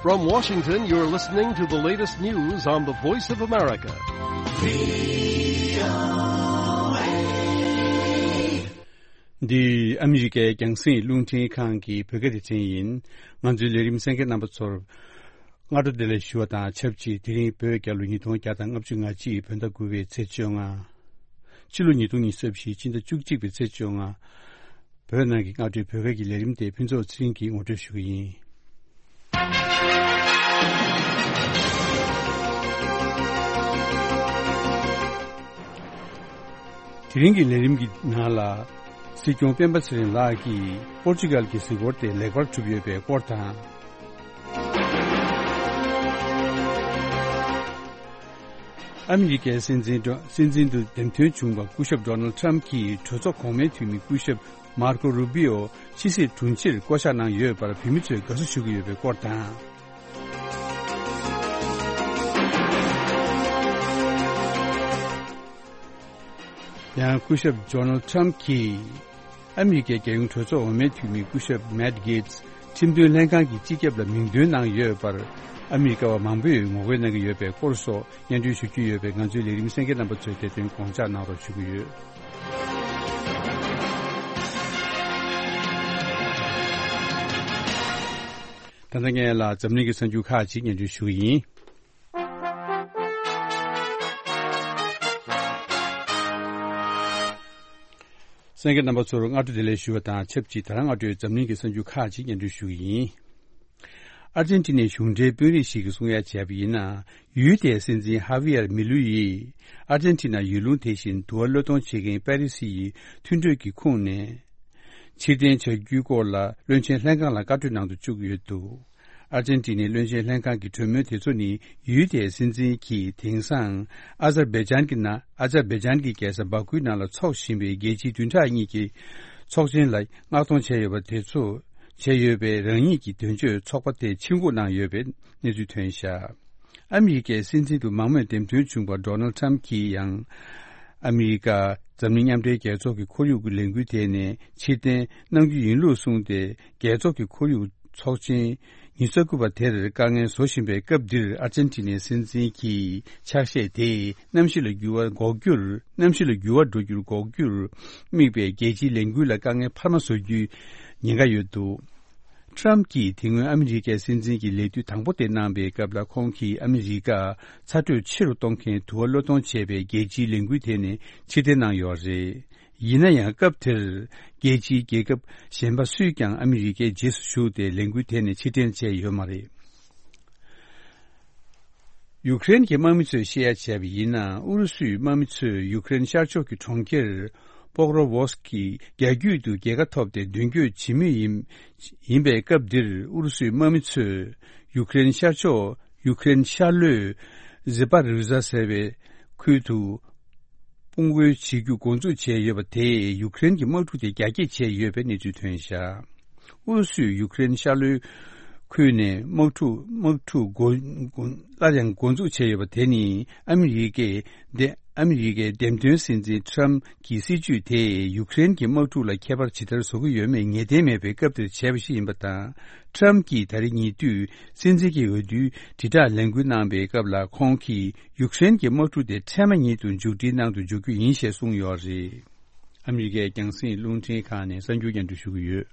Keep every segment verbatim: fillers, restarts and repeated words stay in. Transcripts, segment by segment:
From Washington, you're listening to the latest news on the Voice of America. འདི་ཨ་མི་རི་ཀའི་རྒྱང་སྲིང་རླུང་འཕྲིན་ཁང་གི་བོད་སྐད་སྡེ་ཚན་ཡིན། ང་ཚོའི་ལས་རིམ་གསན་མཁན་རྣམ་པ་ཚོར་སྔ་དྲོ་བདེ་ལེགས་ཞུ་བ་དང་ཆབས་ཅིག་དེ་རིང་བོད་རྒྱལ་ལོ་ཉིས་སྟོང་བརྒྱ་དང་ལྔ་བཅུ་ང་གཅིག་བོད་ཟླ་དགུ་པའི་ཚེས་བཅོ་ལྔ། ཕྱི་ལོ་ཉིས་སྟོང་ཉི་ཤུ་རྩ་བཞི་ཕྱི་ཟླ་བཅུ་གཅིག་པའི་ཚེས་བཅོ་ལྔ། བོད་ནང་གི་སྔ་དྲོའི་བོད་སྐད་ཀྱི་ལས་རིམ་དེ་ཕུན་ཚོགས་ཚེ་རིང་གིས་ངོ་སྤྲོད་ཞུ་གི་ཡིན། དེ་རིང་གི་ལས་རིམ་གྱི་ནང་ལ། སྲིད་སྐྱོང་སྤེན་པ་ཚེ་རིང་ལགས་ཀྱིས་པོར་ཅུ་གལ་གྱི་གཟིགས་སྐོར་དེ་ལེགས་པར་གྲུབ་ཡོད་པའི་སྐོར་དང་། ཨ་མི་རི་ཀའི་སྲིད་འཛིན་སྲིད་འཛིན་དུ་འདེམས་ཐོན་བྱུང་བ་སྐུ་ཞབས་ཌོ་ནལ་ཊམ་གྱིས་གྲོས་ཚོགས་གོང་མའི་འཐུས་མི་སྐུ་ཞབས་མར་ཀོ་རུ་བི་ཨོ་ཕྱི་སྲིད་དྲུང་ཆེར་བསྐོ་གཞག་གནང་ཡོད་པར་བོད་མི་ཚོས་དགའ་བསུ་ཞུ་གི་ཡོད་པའི་སྐོར་དང་། ཡང་སྐུ་ཞབས་ཌོ་ནལ་ཊམ་གྱིས། ཨ་མི་རི་ཀའི་རྒྱལ་ཡོངས་གྲོས་ཚོགས་འོས་མའི་འཐུས་མི་སྐུ་ཞབས་མེཊ་གྷེ་ཊི་ཁྲིམས་དོན་ལྷན་ཁང་གི་སྤྱི་ཁྱབ་ལ་མིང་འདོན་གནང་ཡོད་པར་ཨ་མི་རི་ཀ་བ་མང་པོས་ངོ་རྒོལ་གནང་གི་ཡོད་པའི་སྐོར་སོགས་སྙན་སྒྲོན་ཞུ་རྒྱུ་ཡོད་པས། ང་ཚོའི་ལས་རིམ་གསན་མཁན་རྣམ་པ་ཚོས་དེ་དོན་དགོངས་འཇགས་གནང་རོགས་ཞུ་གི་ཡོད། ད་ལྟ་ངས་ལ་འཛམ་གླིང་གི་གསར་འགྱུར་ཁག་ཅིག་སྙན་སྒྲོན་ཞུ་གི་ཡིན། གསན་མཁན་རྣམ་པ་ཚོར་སྔ་དྲོ་བདེ་ལེགས་ཞུ་བ་དང་ཆབས་ཅིག་ད་རང་སྔ་དྲོའི་འཛམ་གླིང་གི་གསར་འགྱུར་ཁག་ཅིག་སྙན་སྒྲོན་ཞུ་གི་ཡིན། ཨར་ཇན་ཊི་ནའི་གཞུང་འབྲེལ་དཔོན་རིགས་ཤིག་གིས་གསུང་ཡ་བྱས་པ་ཡིན་ན། ཡུལ་དེའི་སྲིད་འཛིན་ཧ་བི་ཡར་མི་ལུ་ཡིས་ཨར་ཇན་ཊི་ན་ཡུལ་ལུང་དེ་བཞིན་དུ་བ་གློད་གཏོང་བྱེད་མཁན་པེ་རི་སི་ཡི་མཐུན་གྲོས་ཀྱི་ཁོངས་ནས་ཕྱིར་འཐེན་བྱ་རྒྱུའི་སྐོར་ལ་བློན་ཆེན་ལྷན་ཁང་ལ་བཀའ་འཁྲོལ་གནང་དུ་བཅུག་ཡོད་འདུག་ཨར་ཇན་ཊི་ནའི་བློན་ཆེན་ལྷན་ཁང་གི་གྲོས་མོལ་དེ་ཚོ་ནི་ཡུལ་དེའི་སྲིད་འཛིན་གྱིས་དེང་སང་ཨ་ཛར་བྷེ་ཇན་གྱི་ནང་ཨ་ཛར་བྷེ་ཇན་གྱི་རྒྱལ་ས་བྷ་ཁུའི་ནང་ལ་འཚོགས་བཞིན་པའི་རྒྱལ་སྤྱིའི་བདུན་ཕྲག་གཉིས་ཀྱི་ཚོགས་ཆེན་ལ་མངགས་གཏོང་བྱས་ཡོད་པ་དེ་ཚོ་བྱས་ཡོད་པའི་རང་ཉིད་ཀྱི་དོན་གཅོད་ཚོགས་པ་དེ་ཕྱིར་འགོག་གནང་ཡོད་པའི་གནས་ཚུལ་ཐོན་བཞག་ཨ་མི་རི་ཀའི་སྲིད་འཛིན་དུ་མང་མོས་འདེམས་ཐོན་བྱུང་བ་ཌོ་ནལ་ཊམ་གྱིས་ཡང་། ཨ་མི་རི་ཀ་འཛམ་གླིང་མཉམ་འབྲེལ་རྒྱལ་ཚོགས་ཀྱི་ཁོར་ཡུག་གི་ལས་འགུལ་དེ་ནས་ཕྱིར་འཐེན་གནང་རྒྱུ་ཡིན་ལུགས་གསུངས་ཏེ། རྒྱལ་ཚོགས་ཀྱི་ཁོར་ཡུག་ཚོགས་ཆེན་ཉི་ཤུ་རྩ་དགུ་པ་དེར་དཀའ་ངལ་བཟོ་བཞིན་པའི་སྐབས་འདིར། ཨར་ཇན་ཊི་ནའི་སྲིད་འཛིན་གྱི་ཕྱག་བཞེས་དེས་གནམ་གཤིས་ལ་འགྱུར་བ་འགོག་རྒྱུར། གནམ་གཤིས་ལ་འགྱུར་བ་འགྲོ་རྒྱུར་འགོག་རྒྱུར་དམིགས་པའི་རྒྱལ་སྤྱིའི་ལས་འགུལ་ལ་དཀའ་ངལ་འཕར་མ་བཟོ་རྒྱུའི་ཉེན་ཁ་ཡོད་འདུག་ཊམ་གྱིས་དེ་སྔོན་ཨ་མི་རི་ཀའི་སྲིད་འཛིན་གྱི་ལས་དུས་དང་པོ་དེ་གནང་པའི་སྐབས་ལ། ཁོང་གིས་ཨ་མི་རི་ཀ་ཚ་དྲོད་ཆེ་རུ་གཏོང་མཁན་དུ་བ་གློད་གཏོང་བྱས་པའི་རྒྱལ་སྤྱིའི་ལས་འགུལ་དེ་ནས་ཕྱིར་འཐེན་གནང་ཡོད་རེད། ཡིན་ན་ཡང་སྐབས་དེར་རྒྱལ་སྤྱིའི་རྒྱལ་ཁབ་གཞན་པ་སུས་ཀྱང་ཨ་མི་རི་ཀའི་རྗེས་སུ་ཞུགས་ཏེ་ལས་འགུལ་དེ་ནས་ཕྱིར་འཐེན་བྱས་ཡོད་མ་རེད། ཡུཀ་རེན་གྱི་དམག་མི་ཚོས་བཤད་ཡ་བྱས་པ་ཡིན་ན། ཨུ་རུ་སུའི་དམག་མི་ཚོས་ཡུཀ་རེན་ཤར་ཕྱོགས་ཀྱི་གྲོང་ཁྱེར་པོག་རོ་ཝོ་སི་ཀི་རྒྱ་རྒྱུད་དུ་རྒྱལ་ཁ་ཐོབ་སྟེ་མདུན་སྐྱོད་བྱེད་མུས་ཡིན། ཡིན་པའི་སྐབས་འདིར། ཨུ་རུ་སུའི་དམག་མི་ཚོས་ཡུཀ་རེན་ཤར་ཕྱོགས་ཡུཀ་རེན་ཤར་ལྷོའི་ཛི་པ་རུ་ཟ་ཟེར་བའི་ཁུལ་དུ་དཔུང་རྒོལ་བྱེད་རྒྱུ་འགོ་འཛུགས་བྱས་ཡོད་པ་དེས་ཡུཀ་རེན་གྱི་དམག་འཁྲུག་དེ་རྒྱ་སྐྱེད་བྱས་ཡོད་པའི་གནས་ཚུལ་ཐོན་བཞག་ཨུ་རུ་སུས་ཡུཀ་རེན་ཤར་ལྷོའི་ཁུལ་ནས་དམག་འཁྲུག་དམག་འཁྲུག་འགོ་འགོ་སླར་ཡང་འགོ་འཛུགས་བྱས་ཡོད་པ་དེ་ནི། ཨ་མི་རི་ཀའི་འདེ་ཨ་མི་རི་ཀའི་འདེམས་ཐོན་སྲིད་འཛིན་ཊམ་གྱི་སྲིད་ཇུས་དེས་ཡུཀ་རེན་གྱི་དམག་འཁྲུག་ལ་ཁྱད་པར་ཇི་ལྟར་བཟོ་གི་ཡོད་མེད་ངེས་གཏན་མེད་པའི་སྐབས་དེར་བྱས་པ་ཞིག་ཡིན་པ་དང་། ཊམ་གྱིས་ད་རེས་ཉེ་དུས་སྲིད་འཛིན་གྱི་འོས་བསྡུའི་དྲིལ་བསྒྲགས་ལས་འགུལ་གནང་པའི་སྐབས་ལ། ཁོང་གིས་ཡུཀ་རེན་གྱི་དམག་འཁྲུག་དེ་འཕྲལ་མ་ཉིད་དུ་མཇུག་སྒྲིལ་གནང་དུ་འཇུག་རྒྱུ་ཡིན་ཞེས་གསུངས་ཡོད་རེད། ཨ་མི་རི་ཀའི་རྒྱང་སྲིང་རླུང་འཕྲིན་ཁང་ནས་གསར་འགྱུར་སྙན་སྒྲོན་ཞུ་གི་ཡོད།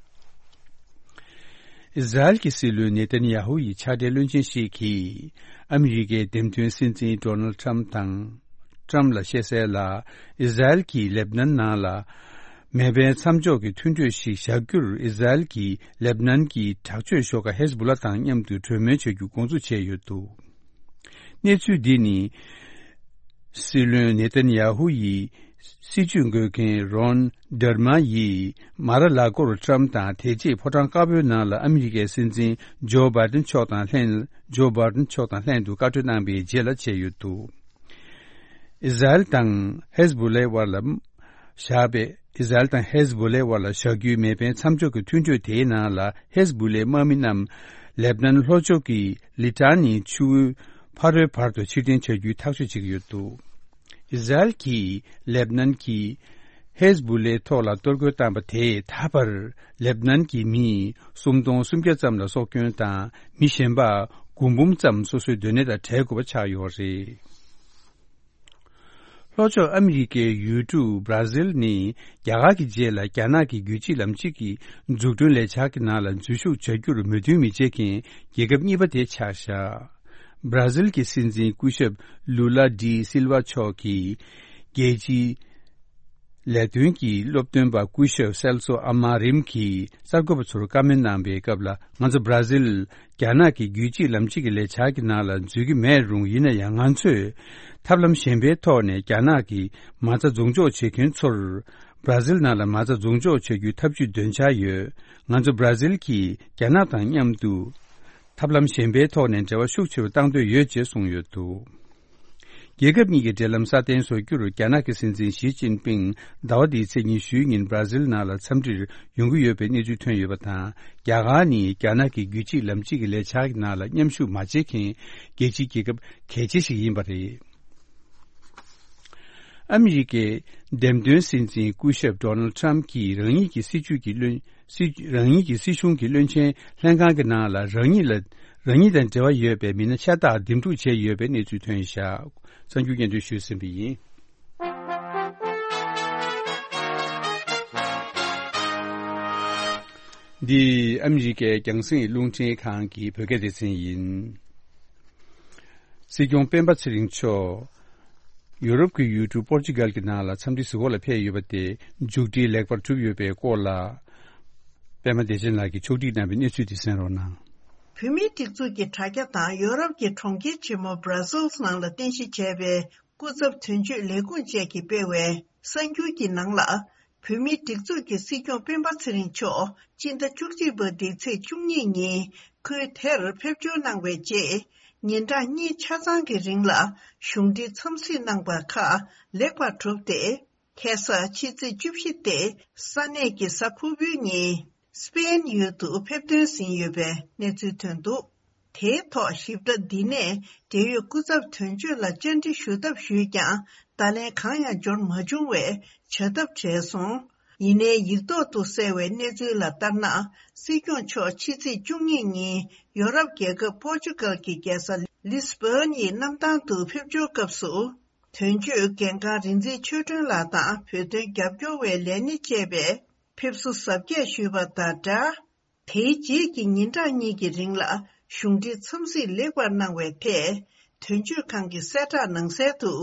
ཨི་ཟ་རེལ་གྱི་སྲིད་བློན་ནེ་ཐན་ཡ་ཧུ་ཡི་ཕྱག་སྦྲེལ་བློན་ཆེན་ཞིག་གིས་ཨ་མི་རི་ཀའི་འདེམས་ཐོན་སྲིད་འཛིན་ཌོ་ནལ་ཊམ་དང་། ཊམ་ལ་བཤད་གསལ་ལ། ཨི་ཟ་རེལ་གྱིས་ལེབ་ནན་ནང་ལ་མེ་འཕེན་མཚམས་འཇོག་གི་མཐུན་གྲོས་ཤིག་བཞག་རྒྱུར། ཨི་ཟ་རེལ་གྱིས་ལེབ་ནན་གྱི་དྲག་སྤྱོད་ཤོག་ཁག་ཧེ་ཟ་བྷུ་ལ་དང་མཉམ་དུ་གྲོས་མོལ་བྱ་རྒྱུ་འགོ་འཛུགས་བྱས་ཡོད་འདུག་གནས་ཚུལ་འདི་ནི། སྲིད་བློན་ནེ་ཐན་ཡ་ཧུ་ཡི་སྲིད་ཇུས་འགོད་མཁན་རོན་ཌར་མ་ཡིས་མ་ར་ལ་གོར་ཊམ་དང་དེ་རྗེས་ཕོ་བྲང་དཀར་པོའི་ནང་ལ་ཨ་མི་རི་ཀའི་སྲིད་འཛིན་ཇོ་བྷའི་ཌེན་མཆོག་དང་ལྷན། ཇོ་བྷའི་ཌེན་མཆོག་དང་ལྷན་དུ་བཀའ་གྲོས་གནང་པའི་རྗེས་ལ་བྱས་ཡོད་འདུག་ཨི་ཟ་རེལ་དང་ཧེ་ཟ་བྷུ་ལའི་དབར་ལ་བཞག་པའི། ཨི་ཟ་རེལ་དང་ཧེ་ཟ་བྷུ་ལའི་དབར་ལ་བཞག་རྒྱུའི་མེ་འཕེན་མཚམས་འཇོག་གི་མཐུན་གྲོས་དེའི་ནང་ལ། ཧེ་ཟ་བྷུ་ལའི་དམག་མི་རྣམས་ལེབ་ནན་ལྷོ་ཕྱོགས་ཀྱི་ལི་ཊ་ནིའི་ཆུ་བོའི་ཕ་རོལ་བར་དུ་ཕྱིར་འཐེན་བྱ་རྒྱུའི་ཐག་གཅོད་བྱེད་ཀྱི་ཡོད་འདུག་ཨི་ཟ་རེལ་གྱིས་ལེབ་ནན་གྱི་ ཧེ་ཟ་བུ་ལའི་ཐོག་ལ་གཏོར་རྒོལ་བཏང་པ་དེས་ད་བར་ལེབ་ནན་གྱི་མི་སུམ་སྟོང་སུམ་བརྒྱ་ཙམ་ལ་སྲོག་སྐྱོན་དང་། མི་གཞན་པ་དགུ་འབུམ་ཙམ་སོ་སོའི་སྡོད་གནས་དང་བྲལ་དགོས་པ་ཆགས་ཡོད་རེད། ལྷོ་ཕྱོགས་ཨ་མི་རི་ཀའི་ཡུལ་གྲུ་བྷ་ར་ཟིལ་ནི་རྒྱ་གར་གྱི་རྗེས་ལ་རྒྱ་ནག་གི་རྒྱུད་གཅིག་ལམ་གཅིག་གི་འཛུགས་སྐྲུན་ལས་འཆར་གྱི་ནང་ལ་འཛུལ་ཞུགས་བྱ་རྒྱུར་མོས་མཐུན་མི་བྱེད་མཁན་རྒྱལ་ཁབ་གཉིས་པ་དེ་ཆགས་བཞག་བྷ་ར་ཟིལ་གྱི་སྲིད་འཛིན་སྐུ་ཞབས་ལུ་ལ་ཌི་སིལ་ཝ་མཆོག་གིས་རྒྱལ་སྤྱིའི་ལས་དོན་གྱི་སློབ་སྟོན་པ་སྐུ་ཞབས་སེལ་སོ་ཨ་མ་རིམ་གྱིས་གསར་འགོད་པ་ཚོར་བཀའ་མོལ་གནང་པའི་སྐབས་ལ། ང་ཚོ་བྷ་ར་ཟིལ་རྒྱ་ནག་གི་རྒྱུད་གཅིག་ལམ་གཅིག་གི་ལས་འཆར་གྱི་ནང་ལ་འཛུལ་གྱི་མེད་རུང་། ཡིན་ན་ཡང་ང་ཚོས་ཐབས་ལམ་གཞན་པའི་ཐོག་ནས་རྒྱ་ནག་གི་མ་རྩ་འཛུགས་འཇོག་བྱེད་མཁན་ཚོར་བྷ་ར་ཟིལ་ནང་ལ་མ་རྩ་འཛུགས་འཇོག་བྱ་རྒྱུའི་ཐབས་ཇུས་འདོན་འཆར་ཡོད། ང་ཚོ་བྷ་ར་ཟིལ་གྱིས་རྒྱ་ནག་དང་མཉམ་དུ་ཐབས་ལམ་གཞན་པའི་ཐོག་ནས་འབྲེལ་བ་ཤུགས་ཆེ་རུ་བཏང་འདོད་ཡོད་ཅེས་གསུངས་ཡོད་འདུག་རྒྱལ་ཁབ་གཉིས་ཀྱི་འབྲེལ་ལམ་སྲ་བརྟན་བཟོ་རྒྱུར་རྒྱ་ནག་གི་སྲིད་འཛིན་ཞི་ཅིན་ཕིང་ཟླ་བ་འདིའི་ཚེས་ཉི་ཤུའི་ཉིན་བྷ་ར་ཟིལ་ནང་ལ་འཚམས་འདྲིར་ཡོང་གི་ཡོད་པའི་གནས་ཚུལ་ཐོན་ཡོད་པ་དང་། རྒྱ་གར་ནི་རྒྱ་ནག་གི་རྒྱུད་གཅིག་ལམ་གཅིག་གི་ལས་འཆར་གྱི་ནང་ལ་མཉམ་ཞུགས་མ་བྱེད་མཁན་རྒྱལ་སྤྱིའི་རྒྱལ་ཁབ་གལ་ཆེ་ཞིག་ཡིན་པ་རེད། ཨ་མི་རི་ཀའི་འདེམས་ཐོན་སྲིད་འཛིན་སྐུ་ཞབས་ཌོ་ནལ་ཌི་ཊརམ་ཕི་གྱིས་རང་ཉིད་ཀྱི་སྲིད་ཇུས་ཀྱི་བློན། སྲིད། རང་ཉིད་ཀྱི་སྲིད་གཞུང་གི་བློན་ཆེན་ལྷན་ཁང་གི་ནང་ལ་རང་ཉིད་ལ། རང་ཉིད་དང་འབྲེལ་བ་ཡོད་པའི་མི་སྣ་ཤ་སྟག་འདེམས་སྒྲུག་བྱས་ཡོད་པའི་གནས་ཚུལ་ཐོན་བཞག་གསར་འགྱུར་སྙན་སྒྲོན་ཞུས་ཟིན་པ་ཡིན། འདི་ཨ་མི་རི་ཀའི་རྒྱང་སྲིང་རླུང་འཕྲིན་ཁང་གི་བོད་སྐད་སྡེ་ཚན་ཡིན། སྲིད་སྐྱོང་སྤེན་པ་ཚེ་རིང་མཆོག་ཡོ་རོབ་ཀྱི་ཡུལ་གྲུ་པོར་ཅུ་གལ་གྱི་ནང་ལ་འཚམས་འདྲི་གཟིགས་སྐོར་ལ་ཕེབས་ཡོད་པ་དེ་མཇུག་སྒྲིལ་ལེགས་པར་གྲུབ་ཡོད་པའི་སྐོར་ལ། པད་མ་བདེ་ཆེན་ལགས་ཀྱིས་ཕྱོགས་སྒྲིག་གནང་བའི་གནས་ཚུལ་དེ་གསན་རོགས་གནང་། བོད་མིའི་སྒྲིག་འཛུགས་ཀྱི་དྲ་རྒྱ་དང་ཡོ་རོབ་ཀྱི་གྲོང་ཁྱེར་ཆེན་མོ་Brussels་ནང་ལ་རྟེན་གཞི་བྱས་པའི་སྐུ་ཚབ་དོན་གཅོད་ལས་ཁུངས་བཅས་ཀྱིས་སྤེལ་བའི་གསར་འགྱུར་གྱི་ནང་ལ། བོད་མིའི་སྒྲིག་འཛུགས་ཀྱི་སྲིད་སྐྱོང་སྤེན་པ་ཚེ་རིང་མཆོག་སྤྱི་ཟླ་བཅུ་གཅིག་པ་འདིའི་ཚེས་བཅུ་གཉིས་ཉིན་ཁུལ་དེར་ཕེབས་འབྱོར་གནང་བའི་རྗེས། ཉིན་གྲངས་གཉིས་ཆ་ཚང་གི་རིང་ལ་གཞུང་འབྲེལ་འཚམས་གཟིགས་གནང་པ་ཁག་ལེགས་པར་གྲུབ་སྟེ། ཁ་སང་ཕྱི་ཚེས་བཅུ་བཞི་སྟེ་ས་གནས་ཀྱི་གཟའ་ཕུར་བུའི་ཉིན་སི་པེན་ཡུལ་དུ་ཕེབས་ཐོན་ཟིན་ཡོད་པའི་གནས་ཚུལ་ཐོན་འདུག་དེའི་ཐོག་ཞིབ་ཕྲ་འདི་ནས་འབྲེལ་ཡོད་སྐུ་ཚབ་དོན་གཅོད་ལ་བཅར་འདྲི་ཞུ་ཐབས་ཞུས་ཀྱང་བརྡ་ལན་གང་ཡང་འབྱོར་མ་བྱུང་བས་བྱ་ཐབས་བྲལ་སོང་། ཡིན་ནའི་ཡིག་ཐོག་ཏུ་གསལ་བའི་གནས་ཚུལ་ལ་ལྟར་ན། སྲིད་སྐྱོང་མཆོག་ཕྱི་ཚེས་བཅུ་གཉིས་ཉིན་ཡོ་རོབ་རྒྱལ་ཁབ་པོར་ཅུ་གལ་གྱི་རྒྱལ་ས་ལིས་བྷོན་ཡི་གནམ་ཐང་དུ་ཕེབས་འབྱོར་སྐབས་སུ། དོན་གཅོད་འགན་ཁང་རིག་འཛིན་ཆོས་སྒྲོན་ལགས་དང་བོད་དོན་རྒྱབ་སྐྱོར་བའི་ལས་སྣེ་བཅས་པས་ཕེབས་བསུ་གཟབ་རྒྱས་ཞུས་པ་དང་སྦྲགས། དེའི་རྗེས་ཀྱི་ཉིན་གྲངས་གཉིས་ཀྱི་རིང་ལ་གཞུང་འབྲེལ་འཚམས་གཟིགས་ལེགས་པར་གནང་བའི་ཐད། དོན་གཅོད་ཁང་གི་གསལ་བསྒྲགས་ནང་གསལ་དུ།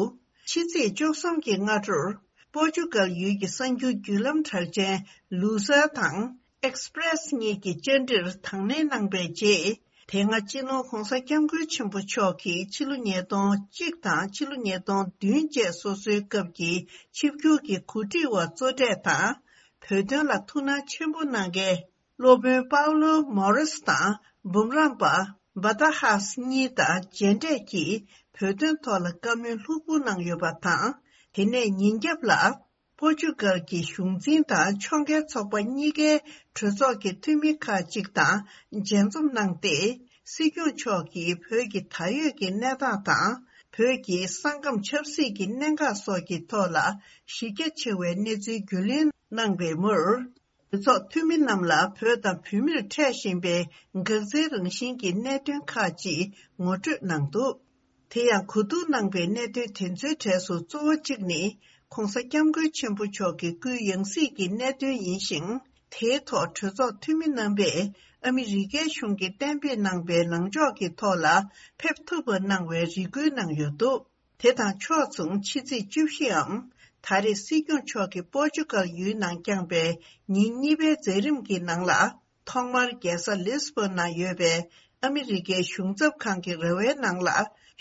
ཕྱི་ཚེས་བཅུ་གསུམ་གྱི་སྔ་དྲོར་པོར་ཅུ་གལ་ཡུལ་གྱི་གསར་འགྱུར་བརྒྱུད་ལམ་གྲགས་ཅན་ལུ་ས་དང་ཨེགས་པི་རེ་སི་གཉིས་ཀྱི་བཅར་འདྲིར་དང་ལེན་གནང་པའི་རྗེས། དེ་སྔ་སྤྱི་ནོར་༧གོང་ས་༧སྐྱབས་མགོན་ཆེན་པོ་མཆོག་གིས་ཕྱི་ལོ་ཉིས་སྟོང་གཅིག་དང་ཕྱི་ལོ་ཉིས་སྟོང་བདུན་བཅས་སོ་སོའི་སྐབས་ཀྱི་ཆིབས་བསྒྱུར་གྱི་གོ་སྒྲིག་པ་གཙོ་གྲས་དང་། བོད་དོན་ལ་ཐུགས་སྣང་ཆེན་པོ་གནང་མཁན། སློབ་དཔོན་པའུ་ལོ་མོ་རེས་དང་འབུམ་རམས་པ་བྷ་ཏཱ་ཧཱས་གཉིས་དང་མཇལ་འཕྲད་ཀྱིས་བོད་དོན་ཐོག་ལ་བཀའ་མོལ་ལྷུག་པོ་གནང་ཡོད་པ་དང་། དེ་ནས་ཉིན་རྒྱབ་ལ་པོར་ཅུ་གལ་གྱི་གཞུང་འཛིན་དང་ཕྱོགས་འགལ་ཚོགས་པ་གཉིས་ཀའི་གྲོས་ཚོགས་ཀྱི་འཐུས་མི་ཁག་ཅིག་དང་མཇལ་འཛོམས་གནང་སྟེ། སྲིད་སྐྱོང་མཆོག་གིས་བོད་ཀྱི་ད་ཡོད་ཀྱི་གནས་སྟངས་དང་། བོད་ཀྱི་ས་ཁམས་ཆབ་སྲིད་ཀྱི་གནད་འགག་སོགས་ཀྱི་ཐོག་ལ་གཞི་རྒྱ་ཆེ་བའི་གནས་ཚུལ་རྒྱུས་ལོན་གནང་བའི་མུར། གྲོས་ཚོགས་འཐུས་མི་རྣམས་ལ་བོད་དང་བོད་མིར་འཕྲད་བཞིན་པའི་འགག་རྩའི་རང་བཞིན་གྱི་གནད་དོན་ཁག་ཅིག་ངོ་སྤྲོད་གནང་འདུག་དེ་ཡང་གོ་བསྡུར་གནང་པའི་གནད་དོན་དེ་ཚོའི་གྲས་སུ་གཙོ་བོ་གཅིག་ནི། ྋགོང་ས་ྋསྐྱབས་མགོན་ཆེན་པོ་མཆོག་གི་སྐུའི་ཡང་སྲིད་ཀྱི་གནད་དོན་ཡིན་ཞིང་། དེའི་ཐོག་གྲོས་ཚོགས་འཐུས་མི་རྣམ་པས་ཨ་མི་རི་ཀའི་གཞུང་གིས་གཏན་འབེབས་གནང་པའི་ལངས་ཕྱོགས་ཀྱི་ཐོག་ལ་ཕེབས་ཐུབ་པ་གནང་བའི་རེ་སྐུལ་གནང་ཡོད་འདུག་དེ་དང་ཕྱོགས་མཚུངས་ཕྱི་ཚེས་བཅུ་བཞིའམ། ད་རེས་སྲིད་སྐྱོང་མཆོག་གིས་པོར་ཅུ་གལ་ཡུལ་ནང་བསྐྱངས་པའི་ཉིན་གཉིས་པའི་མཛད་རིམ་གྱི་ནང་ལ། ཐོག་མར་རྒྱལ་ས་ལིས་བོན་ནང་ཡོད་པའི་ཨ་མི་རི་ཀའི་གཞུང་ཚབ་ཁང་གི་ར་བའི་ནང་ལ།